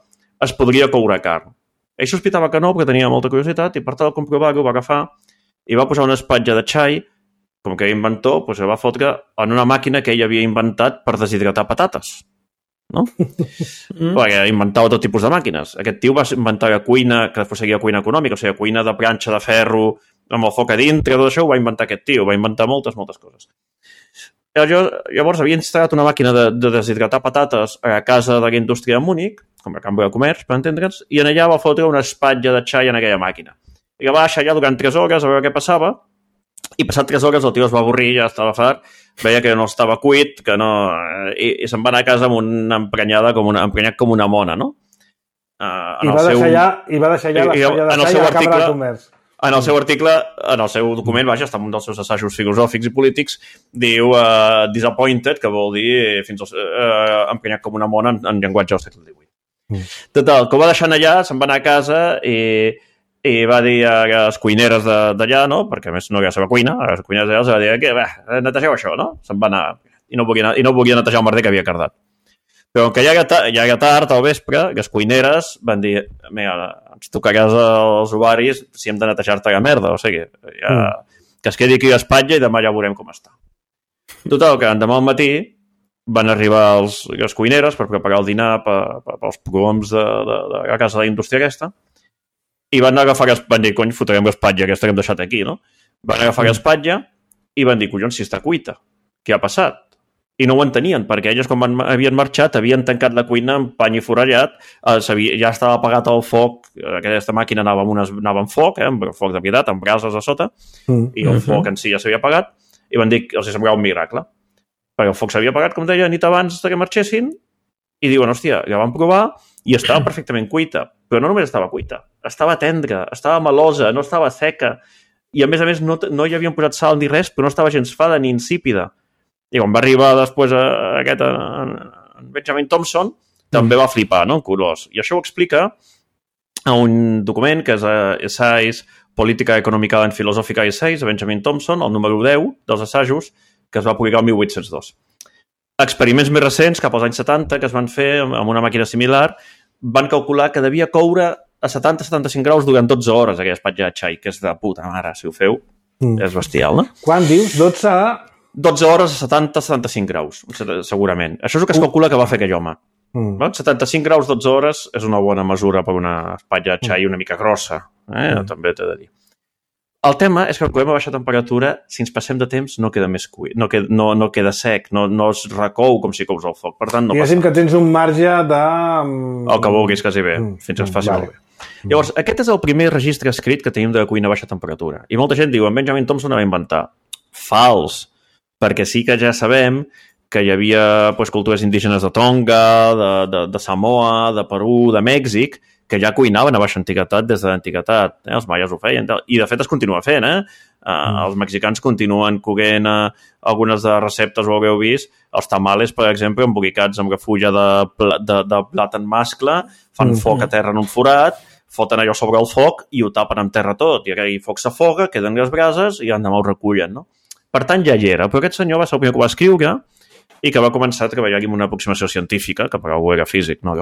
es podria coure carn. Ell sospitava que no, perquè tenia molta curiositat, i per tal de comprovar-ho va agafar i va posar una espatlla de xai, com que era inventor, doncs va fotre en una màquina que ell havia inventat per deshidratar patates. No? Mm. Perquè inventava tot tipus de màquines. Aquest tio va inventar la cuina, que després seria cuina econòmica, o sigui, cuina de planxa de ferro amb el foc a dintre, tot això ho va inventar aquest tio, va inventar moltes, moltes coses. Llavors havia instal·lat una màquina de, de deshidratar patates a la casa de la indústria de Múnich, com a Cambra de Comerç, per entendre'ns, i en allà va fotre una espatlla de xai en aquella màquina. I la va deixar allà durant tres hores a veure què passava, i passat tres hores el tio es va avorrir, ja estava fart, veia que no estava cuit, que no... I, i se'n va anar a casa amb una emprenyada, com una, emprenyat com una mona, no? Uh, I, va seu... allà, I va deixar allà l'espatlla de xai a la Cambra de Comerç. En el seu article, en el seu document, vaja, està en un dels seus assajos filosòfics i polítics, diu uh, disappointed, que vol dir fins al, uh, emprenyat com una mona en, en llenguatge del segle divuit. Mm. Total, que ho va deixant allà, se'n va anar a casa i, i va dir a les cuineres d'allà, no? Perquè a més no hi ha la seva cuina, a les cuineres d'allà va dir que, bé, netegeu això, no? Se'n va anar i no volia, i no volia netejar el merder que havia cardat. Però que ja era, ja era tard al vespre, les cuineres van dir, mira, ens tocaràs els ovaris si hem de netejar-te la merda, o sigui, ja, mm. que es quedi aquí l'espatlla i demà ja veurem com està. Total, que demà al matí van arribar els, les cuineres per preparar el dinar per, per, pels prohoms de, de, de la casa de la indústria aquesta i van agafar, van dir, cony, fotrem l'espatlla aquesta que hem deixat aquí, no? Van agafar mm. l'espatlla i van dir, collons, si està cuita, què ha passat? I no ho entenien, perquè elles, quan van, havien marxat, havien tancat la cuina amb pany i forrellat, eh, ja estava apagat el foc, aquesta màquina anava amb, unes, anava amb foc, eh, amb foc de veritat, amb brases a sota, mm. i el foc en si ja s'havia apagat, i van dir que els semblava un miracle, perquè el foc s'havia apagat, com deia, nit abans que marxessin, i diuen, hòstia, ja van provar, i estava perfectament cuita, però no només estava cuita, estava tendra, estava melosa, no estava seca, i a més a més no, no hi havien posat sal ni res, però no estava gens fada ni insípida. I quan va arribar després a aquest en, en Benjamin Thompson, també va flipar, no?, en colors. I això ho explica a un document que és Essays, Política Econòmica en Filosòfica Essays, de Benjamin Thompson, el número deu dels assajos, que es va publicar el mil vuit-cents dos. Experiments més recents, cap als anys setanta, que es van fer amb una màquina similar, van calcular que devia coure a setanta a setanta-cinc graus durant dotze hores aquella espatlla de xai, que és de puta mare, si ho feu. Mm. És bestial, no? Quan dius? dotze a... dotze hores a setanta a setanta-cinc graus, segurament. Això és el que es calcula que va fer aquell home. Mm. setanta-cinc graus, dotze hores, és una bona mesura per una espatlla de xai una mica grossa. Eh? Mm. També t'he de dir. El tema és que quan coem a baixa temperatura, si ens passem de temps, no queda més cuit, no queda, no, no queda sec, no, no es recou com si cous al foc. Per tant, no passa. Diguéssim que tens un marge de... El que vulguis, quasi bé, mm. fins que es faci vale. Molt bé. Llavors, aquest és el primer registre escrit que tenim de cuina a baixa temperatura. I molta gent diu, en Benjamin Thompson va inventar. Fals, perquè sí que ja sabem que hi havia pues, cultures indígenes de Tonga, de, de, de Samoa, de Perú, de Mèxic, que ja cuinaven a baixa antiguitat des de l'antiguitat. Eh? Els maies ho feien. I, de fet, es continua fent. Eh? Uh, mm. Els mexicans continuen coguent uh, algunes de receptes, ho haureu vist. Els tamales, per exemple, embolicats amb refulla de, de, de plàtan mascle, fan mm. foc a terra en un forat, foten allò sobre el foc i ho tapen amb terra tot. I aquell foc s'afoga, queden les brases i l'endemà ho recullen. No? Per tant, ja hi era. Però aquest senyor va ser el primer que ho va escriure i que va començar a treballar amb una aproximació científica, que per algú era físic, no?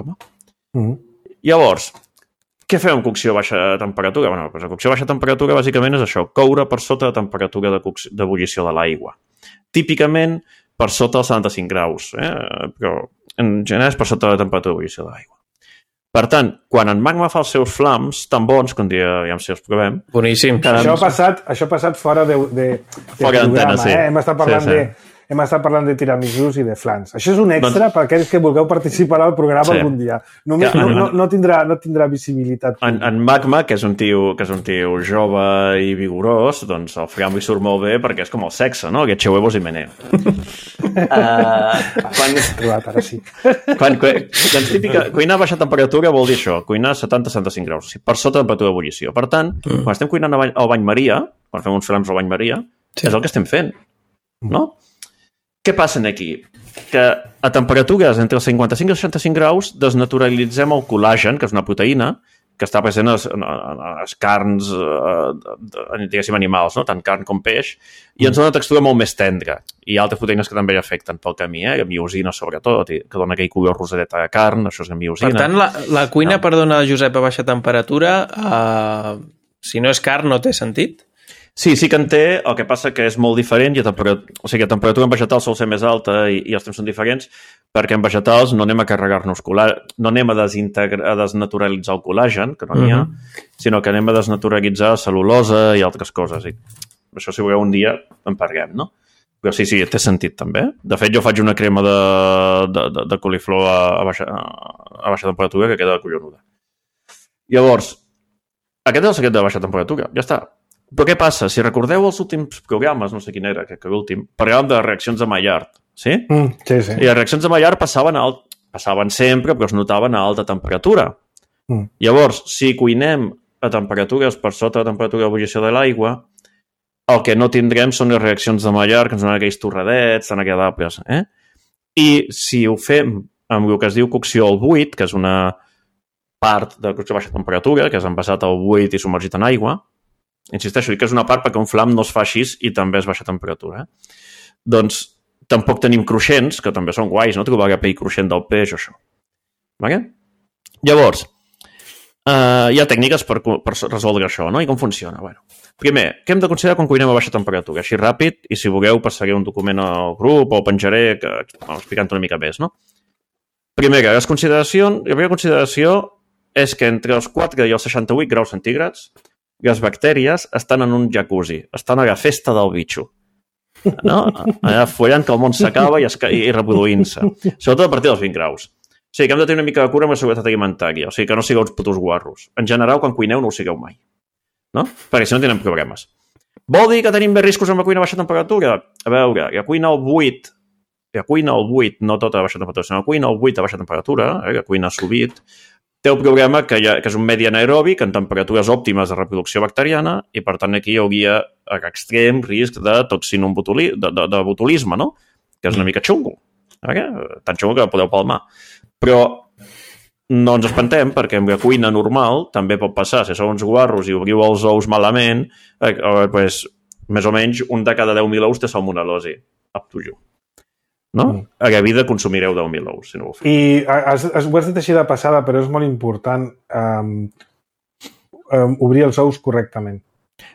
Mm. Llavors, què fem amb cocció a baixa temperatura? Bueno, doncs la cocció a baixa temperatura bàsicament és això, coure per sota de temperatura d'ebullició de, de l'aigua. Típicament per sota dels setanta-cinc graus, eh? Però en general és per sota de la temperatura d'ebullició de l'aigua. Per tant, quan en magma fa els seus flams tan bons, que un dia ja si els provem... Boníssim. Això ha passat, això ha passat fora de, de, de fora d'antena, sí. Eh? Hem estat parlant sí, sí. de... Hem estat parlant de tiramisús i de flans. Això és un extra doncs... per aquells que vulgueu participar al programa sí. algun dia. Només, ja, no, no, no, tindrà, no tindrà visibilitat. En, en Magma, que és, un tio, que és un tio jove i vigorós, doncs el fram li surt molt bé perquè és com el sexe, no? Get huevos i meneo. uh, quan... Trobat, ara sí. Quan, doncs típica, cuinar a baixa temperatura vol dir això, cuinar a setanta a setanta-cinc graus, o sigui, per sota de temperatura d'ebullició. Per tant, mm. quan estem cuinant al bany Maria, quan fem uns flams al bany Maria, sí. és el que estem fent, no? Què passa aquí? Que a temperatures entre els cinquanta-cinc i els seixanta-cinc graus desnaturalitzem el col·làgen, que és una proteïna que està present en les, en les carns, eh, diguéssim, animals, no? Tant carn com peix, i ens dona una textura molt més tendra. I altres proteïnes que també afecten pel camí, eh? Miosina, sobretot, que dona aquell color rosadeta de carn, això és miosina. Per tant, la, la cuina, no. perdona, Josep, a baixa temperatura, eh, si no és carn, no té sentit? Sí, sí que en té, el que passa que és molt diferent, i a temperatura, o sigui, a temperatura en vegetals sol ser més alta i, i els temps són diferents, perquè en vegetals no anem a carregar-nos col·làgen, no anem a, a desnaturalitzar el col·làgen, que no n'hi ha, uh-huh. sinó que anem a desnaturalitzar cel·lulosa i altres coses. I això, si voleu, un dia en parlem, no? Però sí, sí, té sentit també. De fet, jo faig una crema de, de, de, de coliflor a, a, baixa, a baixa temperatura que queda collonuda. Llavors, aquest és el secret de baixa temperatura, ja està. Però què passa? Si recordeu els últims programes, no sé quin era, crec que l'últim, parlàvem de reaccions de Maillard, sí? Mm, sí, sí. I les reaccions de Maillard passaven, a alt... passaven sempre, però es notaven a alta temperatura. Mm. Llavors, si cuinem a temperatures per sota de la temperatura d'ebullició de l'aigua, el que no tindrem són les reaccions de Maillard, que ens donen aquells torradets tan agradables. Eh? I si ho fem amb el que es diu cocció al buit, que és una part de cocció a baixa temperatura, que és envasat al buit i submergit en aigua, insisteixo, dic que és una part perquè un flam no es fa així i també és baixa temperatura. Eh? Doncs tampoc tenim cruixents, que també són guais, no? Trobar la pell cruixent del peix o això. Vale? Llavors, eh, hi ha tècniques per, per resoldre això, no? I com funciona? Bueno, primer, què hem de considerar quan cuinem a baixa temperatura? Així ràpid, i si voleu passaré un document al grup o penjaré que, explicant una mica més, no? Primera, les consideracions, la primera consideració és que entre els quatre i els seixanta-vuit graus centígrads les bactèries estan en un jacuzzi, estan a la festa del bitxo. No? Allà follant que el món s'acaba i, i reproduint-se. Sobretot a partir dels vint graus. O sigui que hem de tenir una mica de cura amb la seguretat alimentària. O sigui que no sigueu uns putos guarros. En general, quan cuineu, no ho sigueu mai. No? Perquè si no tenen problemes. Vol dir que tenim més riscos amb la cuina a baixa temperatura? A veure, la cuina al buit, la cuina al buit, no tota a baixa temperatura, sinó la cuina al buit a baixa temperatura, eh, la cuina sous vide, té el problema que, ha, que és un medi anaeròbic en temperatures òptimes de reproducció bacteriana i, per tant, aquí hi hauria extrem risc de toxinobotuli, de, de, de botulisme, no? Que és una mica xungo. Eh? Tan xungo que podeu palmar. Però no ens espantem, perquè amb la cuina normal també pot passar. Si sou uns guarros i obriu els ous malament, eh, eh, pues, més o menys un de cada deu mil ous té salmonel·losi. Up to you. No? Mm. A la vida consumireu deu mil ous, si no ho feu. I has, has, ho has dit així de passada, però és molt important um, um, obrir els ous correctament.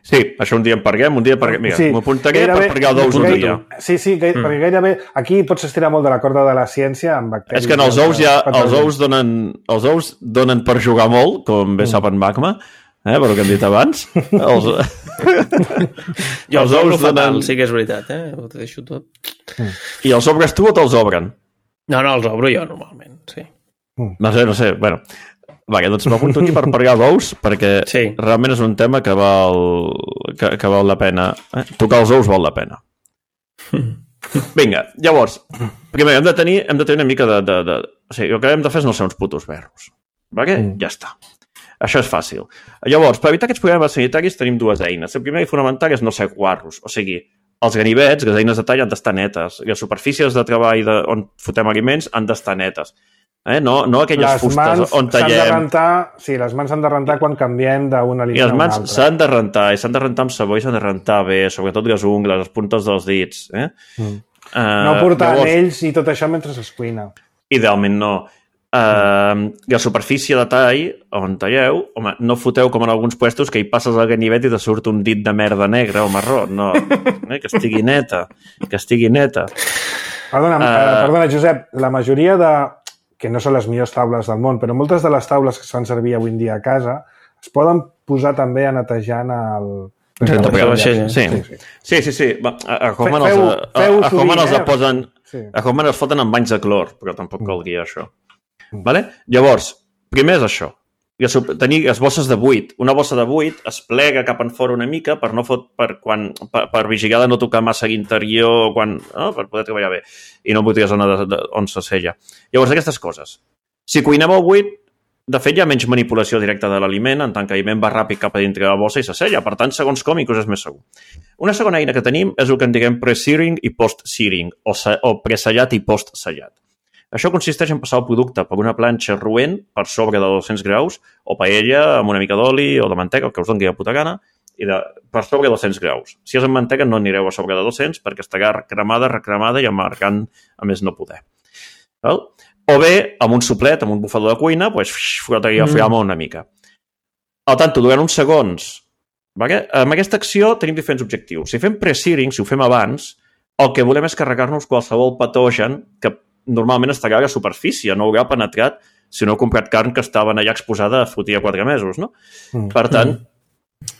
Sí, això un dia en parguem, un dia parguem. Mira, sí, m'apuntaré per pargar d'ous un dia. Sí, sí, gai, mm. perquè gairebé... Aquí pots estirar molt de la corda de la ciència amb bacteris. És que en els ous ja... Els ous donen, els ous donen per jugar molt, com bé mm. sap en Magma, eh, per el que hem dit abans. Els... jo els ous fatal, donen... sí que és veritat, eh? Ho deixo tot. Mm. I els obres tu o te'ls obren? No, no, els obro jo normalment, sí. Mm. No sé, no sé, bueno... Va, doncs m'apunto aquí per parlar d'ous, perquè sí. realment és un tema que val, que, que val la pena. Eh? Tocar els ous val la pena. Vinga, llavors, primer hem de tenir, hem de tenir una mica de... de, de... O sigui, el que hem de fer és no ser uns putos verros. Vale? Mm. Ja està. Això és fàcil. Llavors, per evitar aquests problemes sanitaris tenim dues eines. La primera i fonamental és no ser guarros. O sigui, els ganivets, les eines de tall han d'estar netes. Les superfícies de treball de, on fotem aliments han d'estar netes. Eh? No, no aquelles les fustes on tallem... De rentar, sí, les mans s'han de rentar quan canviem d'un aliment a un altre. I les mans s'han de rentar, i s'han de rentar amb sabó i s'han de rentar bé, sobretot les ungles, les puntes dels dits. Eh? Mm. Uh, no portar llavors, anells i tot això mentre es cuina. Idealment no. Uh, la superfície de tall, on talleu, home, no foteu com en alguns puestos que hi passes el ganivet i te surt un dit de merda negra o marró. No, eh? Que estigui neta, que estigui neta. Perdona, uh, perdona, Josep, la majoria de... que no són les millors taules del món, però moltes de les taules que es fan servir avui en dia a casa es poden posar també a netejant el... Sí, sí, sí. sí, sí, sí. A Hoffman els, a, a Hoffman els posen... Sí. A Hoffman els foten amb banys de clor, però tampoc calguia això. Mm. Vale? Llavors, primer és això. Tenir les bosses de buit. Una bossa de buit es plega cap en fora una mica per no fot, per, quan, per, per vigilar de no tocar massa l'interior, quan, no? Per poder treballar bé i no butir la zona de, de, on se sella. Llavors, aquestes coses. Si cuinem el buit, de fet hi ha menys manipulació directa de l'aliment, en tant que l'aliment va ràpid cap a dintre de la bossa i se sella. Per tant, segons com, inclús és més segur. Una segona eina que tenim és el que en diguem pre-searing i post-searing, o, o presellat i post-sellat. Això consisteix en passar el producte per una planxa roent per sobre de dos-cents graus o paella amb una mica d'oli o de manteca, el que us doni la puta gana, i de, per sobre de dos-cents graus. Si és amb manteca no anireu a sobre de dos-cents perquè estarà cremada, recremada i amargant a més no poder. Val? O bé, amb un soplet, amb un bufador de cuina, doncs, frotaria el flama una mica. Al tanto, durant uns segons, vale? Amb aquesta acció tenim diferents objectius. Si fem pre-searing, si ho fem abans, el que volem és carregar-nos qualsevol patogen que normalment estarà a la superfície, no haurà penetrat si no heu comprat carn que estaven allà exposada a fotir a quatre mesos, no? Mm. Per tant,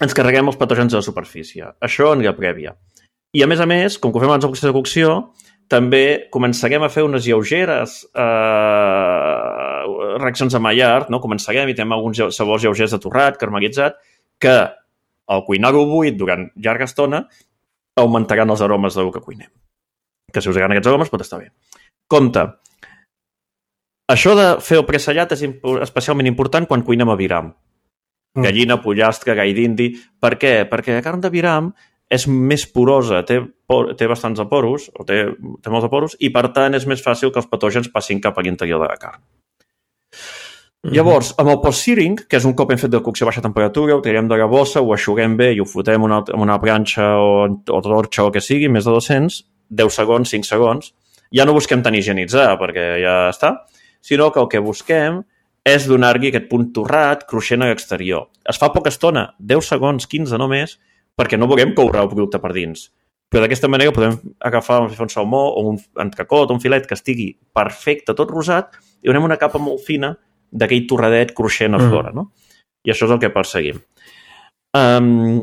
ens carreguem els patògens a la superfície. Això en la prèvia. I a més a més, com que ho fem abans del procés de cocció, també començarem a fer unes lleugeres eh, reaccions a Maillard, no? Començarem i tenim alguns sabors lleugers de torrat, caramelitzat, que al cuinar-ho buit durant llarga estona augmentaran els aromes del que cuinem. Que si us agraden aquests aromes pot estar bé. Compte, això de fer el presellat és especialment important quan cuinem aviram. Mm. Gallina, pollastre, gall d'indi. Per què? Perquè la carn d'aviram és més porosa, té, por, té bastants aporos, o té, té molts aporos, i per tant és més fàcil que els patògens passin cap a l'interior de la carn. Mm-hmm. Llavors, amb el post-searing, que és un cop hem fet de cocció a baixa temperatura, ho tirem de la bossa, ho aixuguem bé i ho fotem en una, una planxa o, o torxa o que sigui, més de dos-cents, deu segons, cinc segons, ja no busquem tan higienitzar, perquè ja està, sinó que el que busquem és donar-li aquest punt torrat, cruixent a l'exterior. Es fa poca estona, deu segons, quinze només, perquè no volem coure el producte per dins. Però d'aquesta manera podem agafar un salmó o un entrecot o un filet que estigui perfecte, tot rosat, i donem una capa molt fina d'aquell torradet cruixent a fora, no? I això és el que perseguim. Um,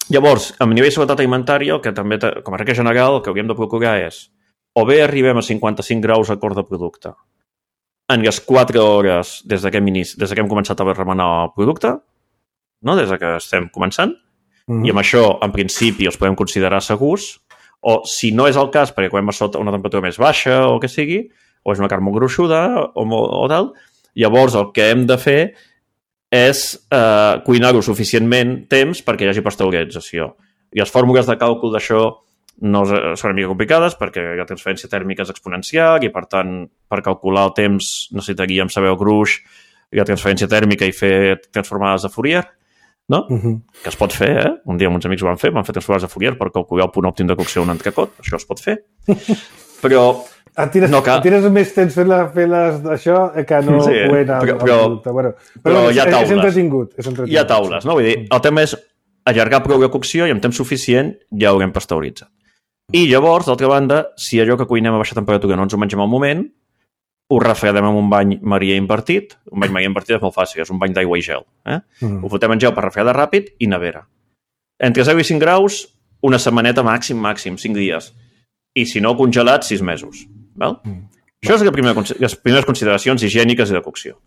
llavors, a nivell de seguretat alimentària, el que també, com a regla general, el que hauríem de procurar és o bé arribem a cinquanta-cinc graus a cor de producte en les quatre hores des que hem, inici, des que hem començat a remenar el producte, no? Des que estem començant, mm-hmm. i amb això, en principi, els podem considerar segurs, o si no és el cas, perquè quan a sota una temperatura més baixa o que sigui, o és una carn molt gruixuda o, o tal, llavors el que hem de fer és eh, cuinar-ho suficientment temps perquè hi hagi pasteurització. I les fórmules de càlcul d'això no són una mica complicades perquè la transferència tèrmica és exponencial i, per tant, per calcular el temps necessitaríem saber el gruix i la transferència tèrmica i fer transformades de Fourier, no? Uh-huh. Que es pot fer, eh? Un dia amb uns amics ho van fer, van fer transformades de Fourier per calcular el punt òptim de cocció d'un entrecot. Això es pot fer. Però Et tires, no cal... tires més temps fent-les d'això que no sí, ho era però, però, bueno, però, però hi ha taules. És entretingut, és entretingut. Hi ha taules, no? Vull dir, el tema és allargar prou la cocció i amb temps suficient ja haurem pasteuritzat. I llavors, d'altra banda, si allò que cuinem a baixa temperatura no ens ho mengem al moment, ho refredem amb un bany Maria invertit. Un bany Maria invertit és molt fàcil, és un bany d'aigua i gel. Eh? Mm. Ho fotem en gel per refredar ràpid i nevera. Entre zero i cinc graus, una setmaneta màxim, màxim, cinc dies. I si no, congelat, sis mesos. Val? Mm. Això és la primera, les primeres consideracions higièniques i de cocció.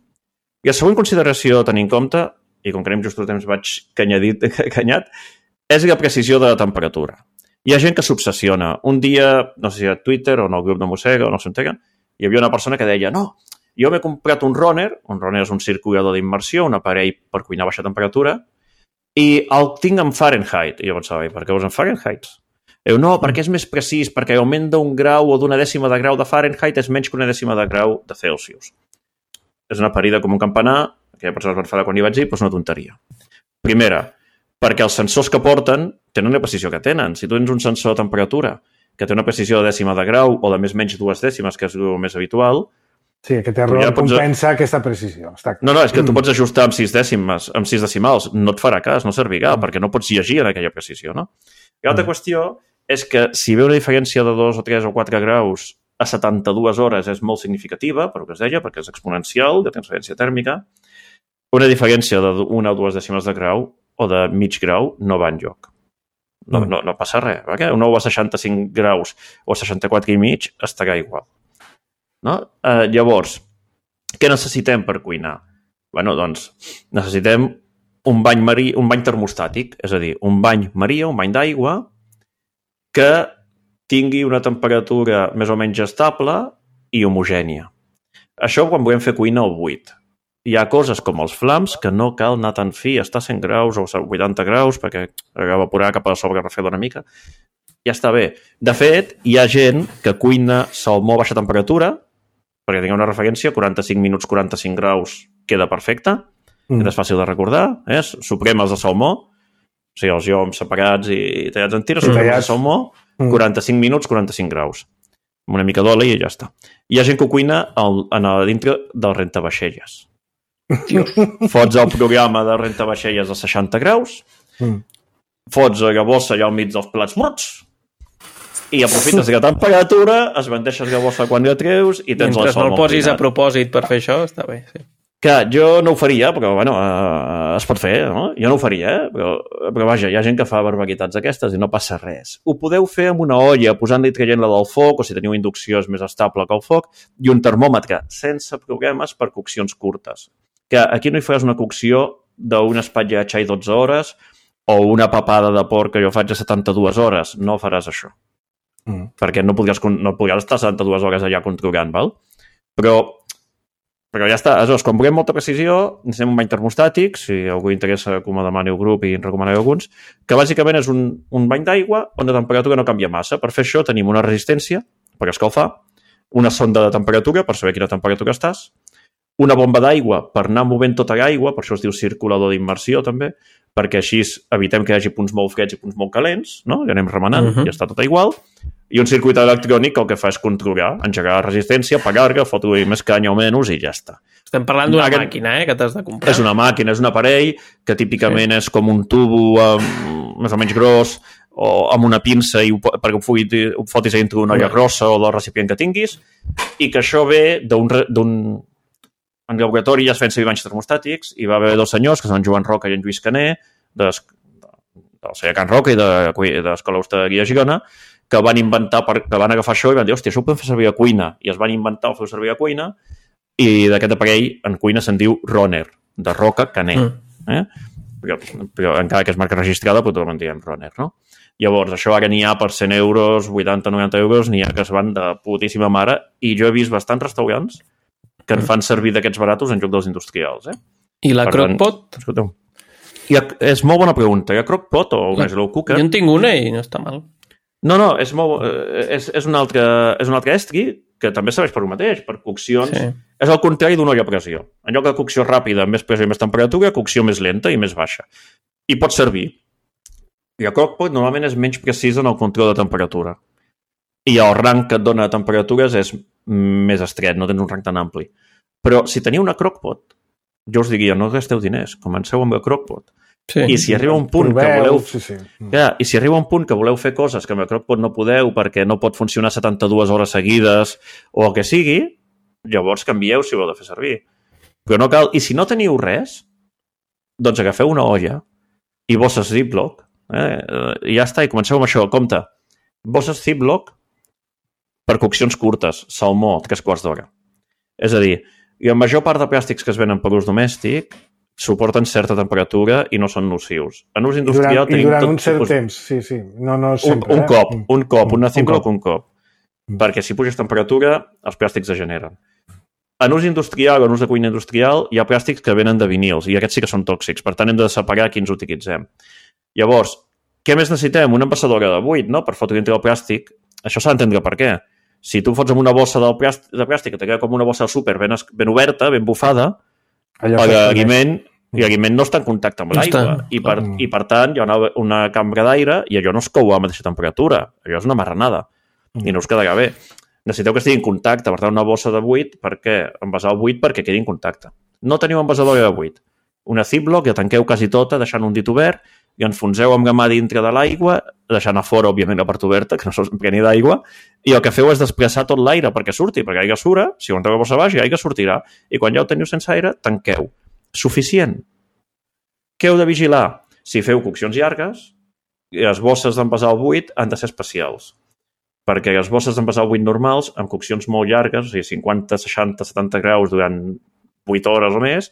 I la següent consideració a tenir en compte, i com que anem just el temps vaig canyadit, canyat, és la precisió de la temperatura. Hi ha gent que s'obsessiona. Un dia, no sé si a Twitter o en el grup de Mossega o no s'entega, hi havia una persona que deia no, jo m'he comprat un runner, un runner és un circulador d'immersió, un aparell per cuinar a baixa temperatura, i el tinc en Fahrenheit. I jo pensava, per què ho és en Fahrenheit? Diu, no, perquè és més precís, perquè l'augment d'un grau o d'una dècima de grau de Fahrenheit és menys que una dècima de grau de Celsius. És una parida com un campanar, aquella persona es va enfadar quan hi vaig dir, però és una tonteria. Primera, perquè els sensors que porten tenen la precisió que tenen. Si tu tens un sensor de temperatura que té una precisió de dècima de grau o de més menys dues dècimes, que és el més habitual... Sí, aquest error ja pots... compensa aquesta precisió. Està... No, no, és que tu pots ajustar amb sis dècimes, amb sis decimals. No et farà cas, no servirà, mm. perquè no pots llegir en aquella precisió, no? I l'altra mm. qüestió és que si ve una diferència de dos o tres o quatre graus a setanta-dues hores és molt significativa, per el que es deia, perquè és exponencial, de transferència tèrmica, una diferència d'una o dues dècimes de grau o de mig grau no va enlloc. No, no, no passa res. Perquè un ou a seixanta-cinc graus o a seixanta-quatre i mig estarà igual. No? Eh, llavors, què necessitem per cuinar? Bueno, doncs, necessitem un bany marí, un bany termostàtic, és a dir, un bany maria, un bany d'aigua, que tingui una temperatura més o menys estable i homogènia. Això quan volem fer cuina al buit. Hi ha coses com els flams que no cal anar tan fi, està a cent graus o a vuitanta graus perquè ha d'evaporar cap a sobre refredar una mica. Ja està bé. De fet, hi ha gent que cuina salmó a baixa temperatura, perquè tingueu una referència, quaranta-cinc minuts, quaranta-cinc graus, queda perfecte, mm. és fàcil de recordar, eh? Supremes de salmó, o sigui, els lloms separats i tallats en tires, supremes de salmó, mm. quaranta-cinc minuts, quaranta-cinc graus. Amb una mica d'oli i ja està. Hi ha gent que ho cuina al, en a dintre del rentavaixelles. Dios. Fots el programa de rentavaixelles a seixanta graus, mm. fots la bossa allà al mig dels plats morts i aprofites la temperatura, es bandeixes la bossa quan la treus i tens mentre el salmó. No el posis a propòsit per fer això, està bé, sí. Que jo no ho faria, però bueno, eh, es pot fer, no? Jo no ho faria, eh? però, però vaja, hi ha gent que fa barbaritats aquestes i no passa res. Ho podeu fer amb una olla, posant-li i traient-la del foc, o si teniu inducció és més estable que el foc, i un termòmetre, sense problemes per coccions curtes. Que aquí no hi faràs una cocció d'un espatlla de xai dotze hores o una papada de porc que jo faig a setanta-dues hores. No faràs això. Mm. Perquè no podries, no podries estar setanta-dues hores allà controlant, val? Però, però ja està. Aleshores, quan volem molta precisió, necessitem un bany termostàtic, si algú interessa que me demani el grup i en recomanaré alguns, que bàsicament és un, un bany d'aigua on la temperatura no canvia massa. Per fer això tenim una resistència per escalfar, una sonda de temperatura per saber a quina temperatura estàs, una bomba d'aigua per anar movent tota l'aigua, per això es diu circulador d'immersió també, perquè així evitem que hi hagi punts molt freds i punts molt calents, no? I anem remenant, uh-huh. i està tot igual. I un circuit electrònic que el que fa és controlar, engegar la resistència, apagar-la, fotre-hi més canya o menys i ja està. Estem parlant d'una Aquest... màquina, eh, que t'has de comprar. És una màquina, és un aparell que típicament sí. és com un tubo um, més o menys gros o amb una pinça i ho, perquè ho, fugui, ho fotis a dintre d'una olla grossa o del recipient que tinguis, i que això ve d'un... d'un en laboratori ja es feien servir banys termostàtics i va haver dos senyors, que són Joan Roca i en Lluís Caner, de, del celler Can Roca i de, de l'Escola Hostaderia de Girona, que van inventar, que van agafar això i van dir, hòstia, això ho podem fer servir a cuina. I es van inventar el fer servir a cuina i d'aquest aparell en cuina se'n diu Roner, de Roca Caner. Mm. Eh? Però, però encara que és marca registrada, però tothom en diem Roner, no? Llavors, això ara n'hi ha per cent euros, vuitanta noranta euros, n'hi ha que es van de putíssima mare, i jo he vist bastants restaurants que en fan servir d'aquests baratos en lloc dels industrials. Eh? I la crockpot? Escolteu. Ha, és molt bona pregunta. Hi ha crockpot o una slow cooker? Jo en tinc una i no està mal. No, no, és, molt, és, és, un, altre, és un altre estri que també serveix per el mateix, per coccions. Sí. És el contrari d'una olla a pressió. En lloc de cocció ràpida, més pressió i més temperatura, cocció més lenta i més baixa. I pot servir. I el crockpot normalment és menys precís en el control de temperatura. I el rang que et dona temperatures és més estret, no tens un rang tan ampli. Però si teniu una crockpot, jo us diria, no gasteu diners, comenceu amb el crockpot. Sí. I si arriba un punt Proveu, que voleu... Sí, sí. Ja, I si arriba un punt que voleu fer coses que amb el Crockpot no podeu perquè no pot funcionar setanta-dues hores seguides o el que sigui, llavors canvieu si ho heu de fer servir. Però no cal... I si no teniu res, doncs agafeu una olla i bosses Ziploc, eh? I ja està, i comenceu amb això. Compte, bosses Ziploc per coccions curtes, salmó, tres quarts d'hora. És a dir, i la major part de plàstics que es venen per ús domèstic suporten certa temperatura i no són nocius. En ús industrial I durant, tenim i durant tot un cert tipus... temps, sí, sí. No, no sempre, un, un eh? cop, un cop, una Ziploc un cop. Mm. Perquè si puges temperatura, els plàstics es generen. En ús industrial, en ús de cuina industrial, hi ha plàstics que venen de vinils i aquests sí que són tòxics, per tant hem de separar quins utilitzem. Llavors, què més necessitem? Una envasadora de buit, no?, per fotre dintre el plàstic. Això s'ha d'entendre per què. Si tu fots amb una bossa del plàstic, de plàstic que te queda com una bossa de súper ben, ben oberta, ben bufada, l'aliment l'aliment no està en contacte amb l'aigua i, per, mm. i per tant hi ha una, una cambra d'aire i allò no es cou a la mateixa temperatura, allò és una marranada mm. i no us quedarà bé. Necessiteu que estigui en contacte, per tant una bossa de buit, per què? Envasar el buit perquè quedi en contacte. No teniu envasadora de buit. Una Ziploc, ja tanqueu quasi tota deixant un dit obert i enfonseu amb la mà dintre de l'aigua, deixant a fora, òbviament, la part oberta, que no s'empreni d'aigua, i el que feu és desplaçar tot l'aire perquè surti, perquè l'aigua sura, si ho entreu a bossa baix, l'aigua sortirà, i quan ja ho teniu sense aire, tanqueu. Suficient. Què heu de vigilar? Si feu coccions llargues, les bosses d'envasar el buit han de ser especials, perquè les bosses d'envasar el buit normals, amb coccions molt llargues, o sigui, cinquanta, seixanta, setanta graus durant vuit hores o més,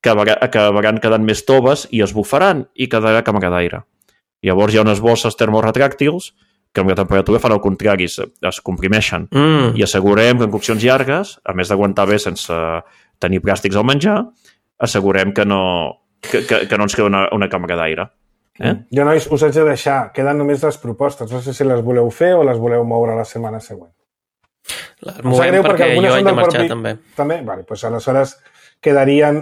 acabaran quedant més toves i es bufaran i quedarà càmera d'aire. Llavors hi ha unes bosses termoretràctils que amb la temperatura fan el contrari, es, es comprimeixen. Mm. I assegurem que en coccions llargues, a més d'aguantar bé sense tenir plàstics al menjar, assegurem que no, que, que, que no ens queda una, una càmera d'aire. Eh? Jo, nois, us haig de deixar. Queden només les propostes. No sé si les voleu fer o les voleu moure la setmana següent. Les movem perquè, perquè jo haig de marxar, també. També? Vale, doncs aleshores quedarien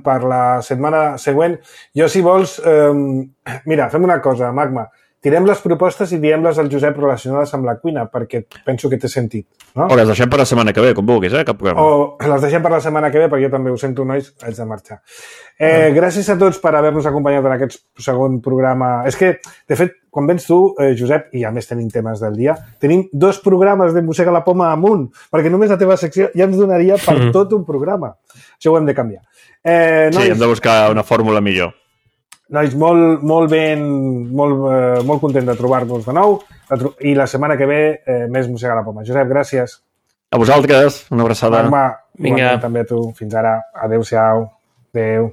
per la setmana següent. Jo, si vols... Eh, mira, fem una cosa, Magma. Tirem les propostes i diem-les al Josep relacionades amb la cuina, perquè penso que té sentit. No? O les deixem per la setmana que ve, com vulguis, eh? Cap problema. O les deixem per la setmana que ve, perquè jo també ho sento, nois, haig de marxar. Eh, gràcies a tots per haver-nos acompanyat en aquest segon programa. És que, de fet, quan vens tu, eh, Josep, i a més tenim temes del dia, tenim dos programes de Mossega la Poma amunt, perquè només la teva secció ja ens donaria per mm. tot un programa. Això ho hem de canviar. Eh, nois, sí, hem de buscar una fórmula millor. Nois, molt, molt ben, molt, eh, molt content de trobar-nos de nou i la setmana que ve eh, més Mossega la Poma. Josep, gràcies. A vosaltres, una abraçada. Magma, vinga. També a tu. Fins ara. Adéu-siau. Adéu.